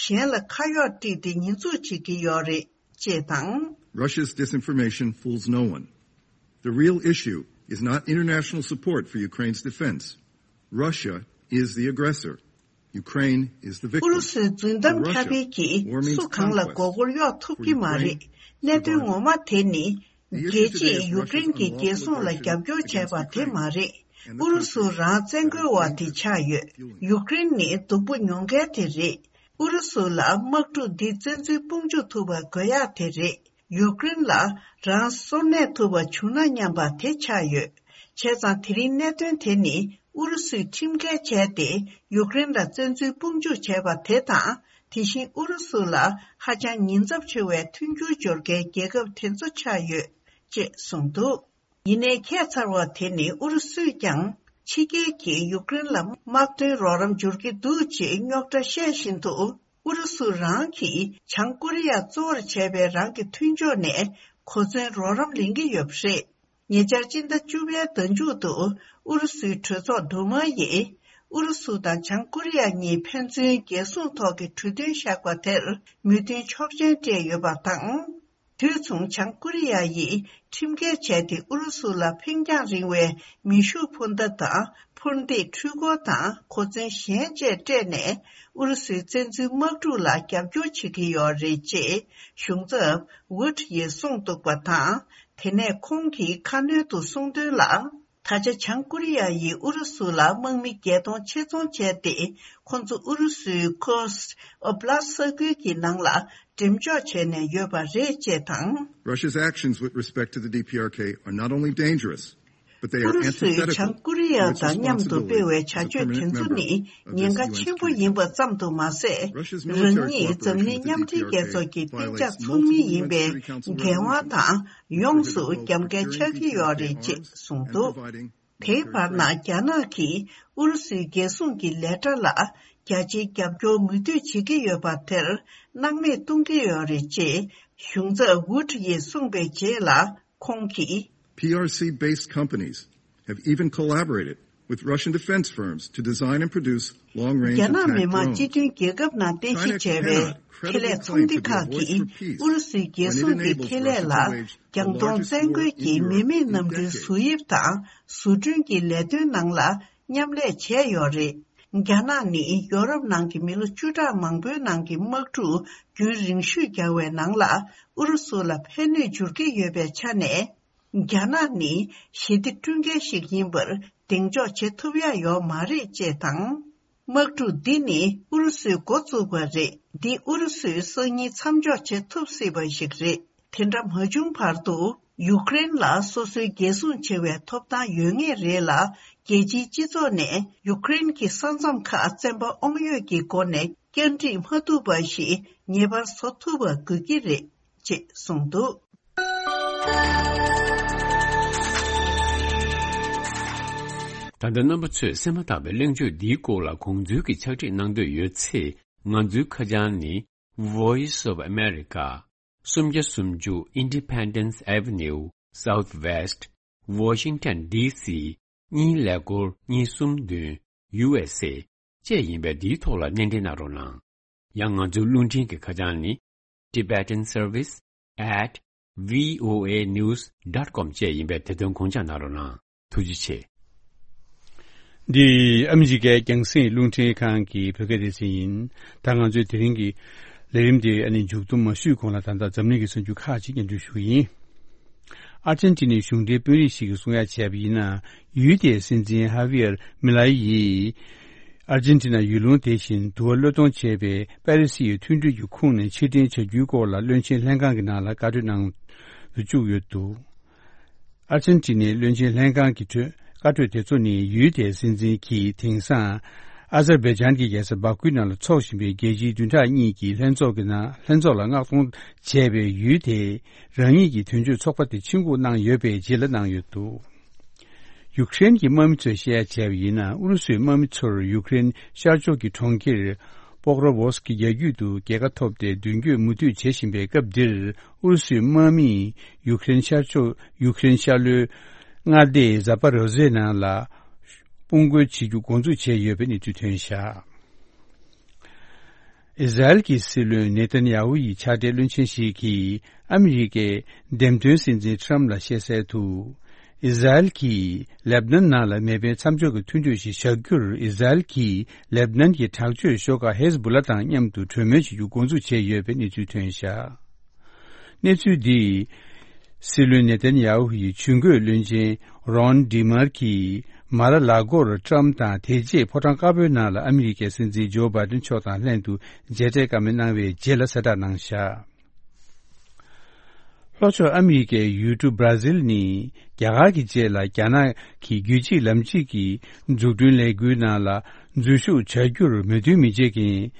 གཞན་ལ་ཁ་གཡོག་དཀྲིས་ཏེ་ཉེས་འཛུགས་བྱེད་ཀྱི་ཡོད་རེད། ཅེས་དང་། Russia's disinformation fools no one. The real issue is not international support for Ukraine's defense. Russia is the aggressor. Ukraine is the victim. ཨུ་རུ་སུའི་རྫུན་གཏམ་ཁྱབ་སྤེལ་གྱིས་སུ་གང་ལ་མགོ་སྐོར་གཡོག་ཐུབ་ཀྱི་མ་རེད། གནད་དོན་ངོ་མ་དེ་ནི། རྒྱལ་སྤྱིས་ཡུཀ་རེན་གྱི་རྒྱལ་སྲུང་ལ་རྒྱབ་སྐྱོར་བྱས་པ་དེ་མ་རེད། ཨུ་རུ་སུ་རང་བཙན་རྒོལ་བ་དེ་ཆགས་ཡོད། ཡུཀ་རེན་ནི་སྡུག་པོ་མྱོང་མཁན་དེ་རེད། ཨུ་རུ་སུ་ལ་དམག་འཁྲུག་འདི་བཙན་འཛུལ་དཔུང་འཇུག་ཐུབ་པ་དགོས་ཡག་དེ་རེད། ཡུཀ་རེན་ལ་རང་སྲོག་གནས་ཐུབ་པ་བྱུང་ན་སྙམ་པ་དེ་ཆགས་ཡོད། བྱས་ཙང་དེ་རིང་གནད་དོན་དེ་ནི་ཨུ་རུ་སུས་ཁྲིམས་འགལ་བྱས་ཏེ་ཡུཀ་རེན་ལ་བཙན་འཛུལ་དཔུང་འཇུག་བྱས་པ་དེ་དང་། དེ་བཞིན་ཨུ་རུ་སུ་ལ་ཧ་ཅང་ཉེན་ཚབས་ཆེ་བའི་མཐུན་འགྱུར་སྦྱོར་མཁན་རྒྱལ་ཁབ་དེ་ཚོ་ཆགས་ཡོད། ཅེས་གསུངས་འདུག་ཡིན་ནའི་ཁྱད་མཚར་བ་དེ་ནི་ཨུ་རུ་སུས་ཀྱང་ཕྱི་རྒྱལ་གྱིས་ཡུཀ་རེན་ལ་དམག་དོན་རོགས་རམ་འབྱོར་གྱི་འདུག་ཅེས་རྙོག་དྲ་བཤད་བཞིན་དུ། ཨུ་རུ་སུ་རང་གིས་བྱང་ཀོ་རི་ཡ་གཙོ་བོར་བྱས་པའི་རང་གི་མཐུན་ཕྱོགས་ནས་གོ་མཚོན་རོགས་རམ་ལེན་གྱི་ཡོད་པ་རེད། ཉེ་ཆར་སྤྱི་ཟླ་བཅུ་པའི་ཟླ་མཇུག་ཏུ་ཨུ་རུ་སུའི་གྲོས་ཚོགས་འབྲུ་མ་ཡིས་ཨུ་རུ་སུ་དང་བྱང་ཀོ་རི་ཡ་གཉིས་ཕན་ཚུན་རྒྱལ་སྲུང་ཐོག་གི་གྲོས་མཐུན་བཞག་པ་དེར་མོས་མཐུན་ཆོག་མཆན་སྤྲད་ཡོད་པ་དང་། དུས་མཚུངས་བྱང་ཀོ་རི་ཡ་ཡིས་ཁྲིམས་འགལ་བྱས་ཏེ་ཨུ་རུ་སུ་ལ་འཕེན་རྒྱང་རིང་བའི་མེ་ཤུགས་འཕུར་མདའ་དང་འཕུར་མདེའི་འཕྲུལ་འཁོར་དང་གོ་མཚོན་གཞན་བཅས་སྤྲད་ནས་ཨུ་རུ་སུའི་བཙན་འཛུལ་དམག་འཁྲུག་ལ་རྒྱབ་སྐྱོར་བྱེད་ཀྱི་ཡོད་རེད་ཅེས་གཞུང་ཚབ་ཝུད་ཡིས་གསུངས་འདུག་པ་དང་། དེ་ནས་ཁོང་གིས་ཁ་སྣོན་དུ་གསུངས་དོན་ལ། ད་ཆ་བྱང་ཀོ་རི་ཡ་ཡིས་ཨུ་རུ་སུ་ལ་དམག་མི་བརྒྱད་སྟོང་ཆེད་རྫོང་བྱས་ཏེ། ཁོ་ཚོ་ཨུ་རུ་སུའི་ཁུར་སི་ཨོབ་ལ་ས་ཁུལ་གྱི་ནང་ལ་འགྲེམས་འཇོག་བྱས་ནས་ཡོད་པ་རེད་ཅེས་དང་། Russia's actions with respect to the D P R K are not only dangerous, ཨུ་རུ་སུས་བྱང་ཀོ་རི་ཡ་དང་མཉམ་དུ་སྤེལ་བའི་བྱ་སྤྱོད་དེ་ཚོ་ནི་ཉེན་ཁ་ཆེན་པོ་ཡིན་པ་ཙམ་དུ་མ་ཟད། རང་ཉིད་འཛམ་གླིང་མཉམ་འབྲེལ་རྒྱལ་ཚོགས་ཀྱི་གཏན་འཇགས་ཚོགས་མི་ཡིན་པའི་འགན་དབང་དང་ཡོངས་སུ་རྒྱབ་འགལ་ཆགས་ཀྱི་ཡོད་རེད་ཅེས་གསུངས་འདུག་དེའི་བར་ན་རྒྱ་ནག་གིས་ཨུ་རུ་སུའི་རྒྱལ་སྲུང་གི་ལས་གྲྭ་ལ་རྒྱ་ཆེའི་རྒྱབ་སྐྱོར་མུ་མཐུད་བྱེད་ཀྱི་ཡོད་པ་དེར་སྣང་མེད་གཏོང་གི་ཡོད་རེད་ཅེས་གཞུང་ཚབ་ཝུ་ཁྲི་ཡིས་གསུངས་པའི་རྗེས་ལ་ཁོང་གིས། P R C-based companies have even collaborated with Russian defense firms to design and produce long-range attack drones. རྒྱ་ནག་མི་དམངས་སྤྱི་མཐུན་རྒྱལ་ཁབ་ནང་རྟེན་གཞི་བྱས་པའི་ཁེ་ལས་ཚོང་སྡེ་ཁག་གིས་ཨུ་རུ་སུའི་རྒྱལ་སྲུང་གི་ཁེ་ལས་ལ་རྒྱང་མཐོང་བཙན་རྒོལ་གྱི་མི་མེད་གནམ་གྲུའི་བཟོ་དབྱིབས་དང་བཟོ་སྐྲུན་གྱི་ལས་དོན་ནང་ལ་མཉམ་ལས་བྱས་ཡོད་རེད། རྒྱ་ནག་ནི་ཡོ་རོབ་ནང་གི་མི་ལོ་བཅུ་ཕྲག་མང་པོའི་ནང་གི་དམག་འཁྲུག་རྒྱུན་རིང་ཤོས་བརྒྱབ་པའི་ནང་ལ་ཨུ་རུ་སུ་ལ་ཕན་གནོད་འབྱོར་གྱི་ཡོད་པའི་ཆ་ནས། རྒྱ་ནག་ནི་ཞི་བདེ་བསྐྲུན་མཁན་ཞིག་ཡིན་པར་གདེང་འཇོག་བྱེད་ཐུབ་ཡ་ཡོད་མ་རེད་ཅེས་དང་། དམག་འཁྲུག་འདི་ནི་ཨུ་རུ་སུས་འགོ་བཙུགས་པ་རེད། འདི་ཨུ་རུ་སུས་སང་ཉིན་མཚམས་འཇོག་བྱེད་ཐུབ་སྲིད་པ་ཞིག་རེད། དེ་འདྲ་མ་བྱུང་བར་དུ་ཡུཀ་རེན་ལ་སོ་སོའི་རྒྱལ་སྲུང་བྱེད་པའི་ཐོབ་ཐང་ཡོད་ངེས་རེད་ལ། རྒྱལ་སྤྱིའི་སྤྱི་ཚོགས་ནས་ཡུཀ་རེན་གྱི་ས་མཚམས་ཁག་བཙན་པ་དབང་ཡོད་ཀྱི་སྒོ་ནས་བསྐྱར་སྒྲིག་མ་ཐུབ་པ་ཞིག་ངེས་པར་བཟོ་ཐུབ་པ་དགོས་ཀྱི་རེད་ཅེས་གསུངས་འདུག་ད་ལྟ་རྣམ་པ་ཚོས་གསན་མ་ཐག་པའི་གླེང་བརྗོད་འདིའི་སྐོར་ལ་དགོངས་ཚུལ་གྱི་ཕྱག་བྲིས་གནང་འདོད་ཡོད་ཚེ། ང་ཚོའི་ཁ་བྱང་ནི། Voice of America། སུམ་བརྒྱ་སུམ་ཅུ་Independence Avenue Southwest Washington D C གཉིས་ཀླད་ཀོར་གཉིས་གསུམ་བདུན་U S A བཅས་ཡིན་པས། འདིའི་ཐོག་ལ་སྣེ་འདྲེན་གནང་རོགས་གནང་། ཡང་ང་ཚོའི་རླུང་འཕྲིན་གྱི་ཁ་བྱང་ནི། Tibetan Service at V O A news dot com བཅས་ཡིན་པས། དེ་དོན་དགོངས་འཇགས་གནང་རོགས་གནང་། ཐུགས་རྗེ་ཆེ། འདི་ཨ་མི་རི་ཀའི་རྒྱང་སྲིང་རླུང་འཕྲིན་ཁང་གི་བོད་སྐད་སྡེ་ཚན་ཡིན། ད་ང་ཚོའི་དེ་རིང་གི་ལས་རིམ་དེ་ཨ་ནི་མཇུག་བསྡོམས་མ་ཞུས་གོང་ལ་ད་ལྟ་འཛམ་གླིང་གི་གསར་འགྱུར་ཁག་ཅིག་སྙན་སྒྲོན་ཞུ་གི་ཡིན། ཨར་ཅན་ཊི་ནའི་གཞུང་འབྲེལ་དཔོན་རིགས་ཤིག་གིས་གསུང་ཡ་བྱས་པ་ཡིན་ན། ཡུལ་དེའི་སྲིད་འཛིན་ཧ་ཝིར་མི་ལའི་ཡིས་ཨར་ཅན་ཊི་ན་ཡུལ་ལུང་དེ་བཞིན་དུ་བློས་གཏོང་བྱས་པའི་པ་རི་སི་ཡི་མཐུན་གྲོས་ཀྱི་ཁོངས་ནས་ཕྱིར་འཐེན་བྱ་རྒྱུའི་སྐོར་ལ་བློན་ཆེན་ལྷན་ཁང་གི་ནང་ལ་བཀའ་འཁྲོལ་གནང་དུ་བཅུག་ཡོད་འདུག་ཨར་ཅན་ཊི་ནའི་བློན་ཆེན་ལྷན་ཁང་གི་གྲོས་བཀའ་འཁྲོལ་དེ་ཚོ་ནི། ཡུལ་དེའི་སྲིད་འཛིན་གྱིས་དེང་སང་ཨ་ཛར་བྷེ་ཇན་གྱི་རྒྱལ་ས་བྷ་ཁུའི་ནང་ལ་འཚོགས་བཞིན་པའི་རྒྱལ་སྤྱིའི་བདུན་ཕྲག་གཉིས་ཀྱི་ལྷན་ཚོགས་ཀྱི་ནང་ལྷན་ཚོགས་ལ་མངགས་གཏོང་བྱས་པའི་ཡུལ་དེའི་རང་ཉིད་ཀྱི་དོན་གཅོད་ཚོགས་པ་དེ་ཕྱིར་འགུག་གནང་ཡོད་པའི་རྗེས་ལ་གནང་ཡོད་འདུག་ཡུཀ་རེན་གྱི་དམག་མི་ཚོས་བཤད་ཡ་བྱས་པ་ཡིན་ན། ཨུ་རུ་སུའི་དམག་མི་ཚོར་ཡུཀ་རེན་ཤར་ཕྱོགས་ཀྱི་གྲོང་ཁྱེར་པོག་རོ་ཝོ་སི་ཀི་རྒྱ་རྒྱུད་དུ་རྒྱལ་ཁ་ཐོབ་སྟེ་མདུན་སྐྱོད་མུ་མཐུད་བྱེད་བཞིན་པའི་སྐབས་འདིར། ཨུ་རུ་སུའི་དམག་མིས་ཡུཀ་རེན་ཤར་ཕྱོགས་ཡུཀ་རེན་ཤར་ལྷོའི་མངའ་སྡེ་ཛ་པ་རོ་ཟེ་ནང་ལ་དཔུང་རྒོལ་བྱེད་རྒྱུ་འགོ་འཛུགས་བྱས་ཡོད་པའི་གནས་ཚུལ་ཐོན་བཞག་ཨི་ཟ་རེལ་གྱི་སྲིད་བློན་ནེ་ཐན་ཡ་ཧུ་ཡི་ཕྱག་སྦྲེལ་བློན་ཆེན་ཞིག་གིས་ཨ་མི་རི་ཀའི་འདེམས་ཐོན་སྲིད་འཛིན་ཁྲམ་ལ་བཤད་གསལ་དུ། ཨི་ཟ་རེལ་གྱིས་ལེབ་ནན་ནང་ལ་མེ་འཕེན་མཚམས་འཇོག་གི་མཐུན་གྲོས་ཤིག་བཞག་རྒྱུར། ཨི་ཟ་རེལ་གྱིས་ལེབ་ནན་གྱི་དྲག་སྤྱོད་ཤོག་ཁག་ཧེ་ཟ་བུ་ལ་དང་མཉམ་དུ་གྲོས་མོལ་བྱེད་རྒྱུ་འགོ་འཛུགས་བྱས་ཡོད་པའི་གནས་ཚུལ་ཐོན་བཞག་གནས་ཚུལ་འདིས། སྲིད་བློན་ནེ་ཐན་ཡ་ཧུ་ཡི་ཇུས་འགོད་བློན་ཆེན་རོན་ཌི་མར་གྱིས་མ་ར་ལ་གོར་ཁྲམ་དང་དེ་རྗེས་ཕོ་བྲང་དཀར་པོའི་ནང་ལ་ཨ་མི་རི་ཀའི་སྲིད་འཛིན་ཇོ་བྷའི་ཌེན་མཆོག་དང་ལྷན་དུ་མཇལ་འཕྲད་བཀའ་མོལ་གནང་བའི་རྗེས་ལ་གསལ་བསྒྲགས་གནང་བཞག་ལྷོ་ཕྱོགས་ཨ་མི་རི་ཀའི་ཡུལ་གྲུ་བྷ་ར་ཟིལ་ནི་རྒྱ་གར་གྱི་རྗེས་ལ་རྒྱ་ནག་གི་རྒྱུད་གཅིག་ལམ་གཅིག་གི་འཛུགས་སྐྲུན་ལས་འགུལ་ནང་ལ་འཛུལ་ཞུགས་བྱ་རྒྱུར་མོས་མཐུན་མི་བྱེད་མཁན་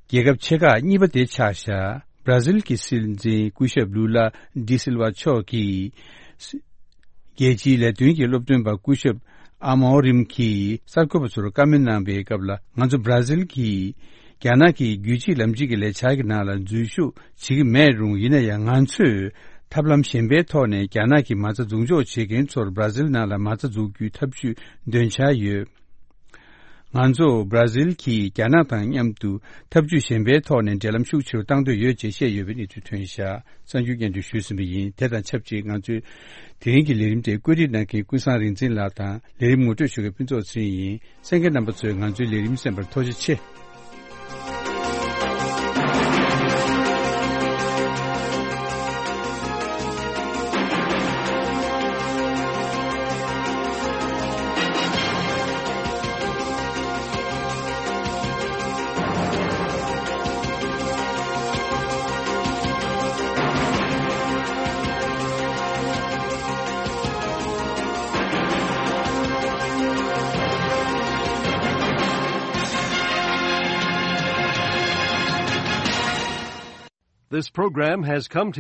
རྒྱལ་ཁབ་ཆེ་ཁག་གཉིས་པ་དེ་ཆགས་བཞག་བྷ་ར་ཟིལ་གྱི་སྲིད་འཛིན་སྐུ་ཞབས་ལུ་ལ་ཌི་སིལ་ཝ་མཆོག་གིས། རྒྱལ་སྤྱིའི་ལས་དོན་གྱི་སློབ་སྟོན་པ་སྐུ་ཞབས་ཨ་མོ་རིམ་གྱིས་གསར་འགོད་པ་ཚོར་བཀའ་མོལ་གནང་པའི་སྐབས་ལ། ང་ཚོ་བྷ་ར་ཟིལ་གྱིས་རྒྱ་ནག་གི་རྒྱུད་གཅིག་ལམ་གཅིག་གི་ལས་འཆར་གྱི་ནང་ལ་འཛུལ་ཞུགས་བྱེད་ཀྱི་མེད་རུང་། ཡིན་ན་ཡང་ང་ཚོས་ཐབས་ལམ་གཞན་པའི་ཐོག་ནས་རྒྱ་ནག་གི་མ་རྩ་འཛུགས་འཇོག་བྱེད་མཁན་ཚོར་བྷ་ར་ཟིལ་ནང་ལ་མ་རྩ་འཛུགས་རྒྱུའི་ཐབས་ཇུས་འདོན་འཆར་ཡོད། ང་ཚོ་བྷ་ར་ཟིལ་གྱིས་རྒྱ་ནག་དང་མཉམ་དུ་ཐབས་ཇུས་གཞན་པའི་ཐོག་ནས་འབྲེལ་ལམ་ཤུགས་ཆེ་རུ་གཏང་འདོད་ཡོད་ཅེས་བཤད་ཡོད་པའི་གནས་ཚུལ་ཐོན་བཞག་གསར་འགྱུར་སྙན་སྒྲོན་ཞུས་ཟིན་པ་ཡིན། དེ་དང་ཆབས་ཅིག་ང་ཚོས་དེ་རིང་གི་ལས་རིམ་དེ་བཀོད་སྒྲིག་གནང་མཁན་ཀུན་བཟང་རིག་འཛིན་ལགས་དང་། ལས་རིམ་ངོ་སྤྲོད་ཞུ་མཁན་ཕུན་ཚོགས་ཚེ་རིང་ཡིན། གསན་མཁན་རྣམ་པ་ཚོས་ང་ཚོའི་ལས་རིམ་གསན་པར་ཐུགས་རྗེ་ཆེ། This program has come to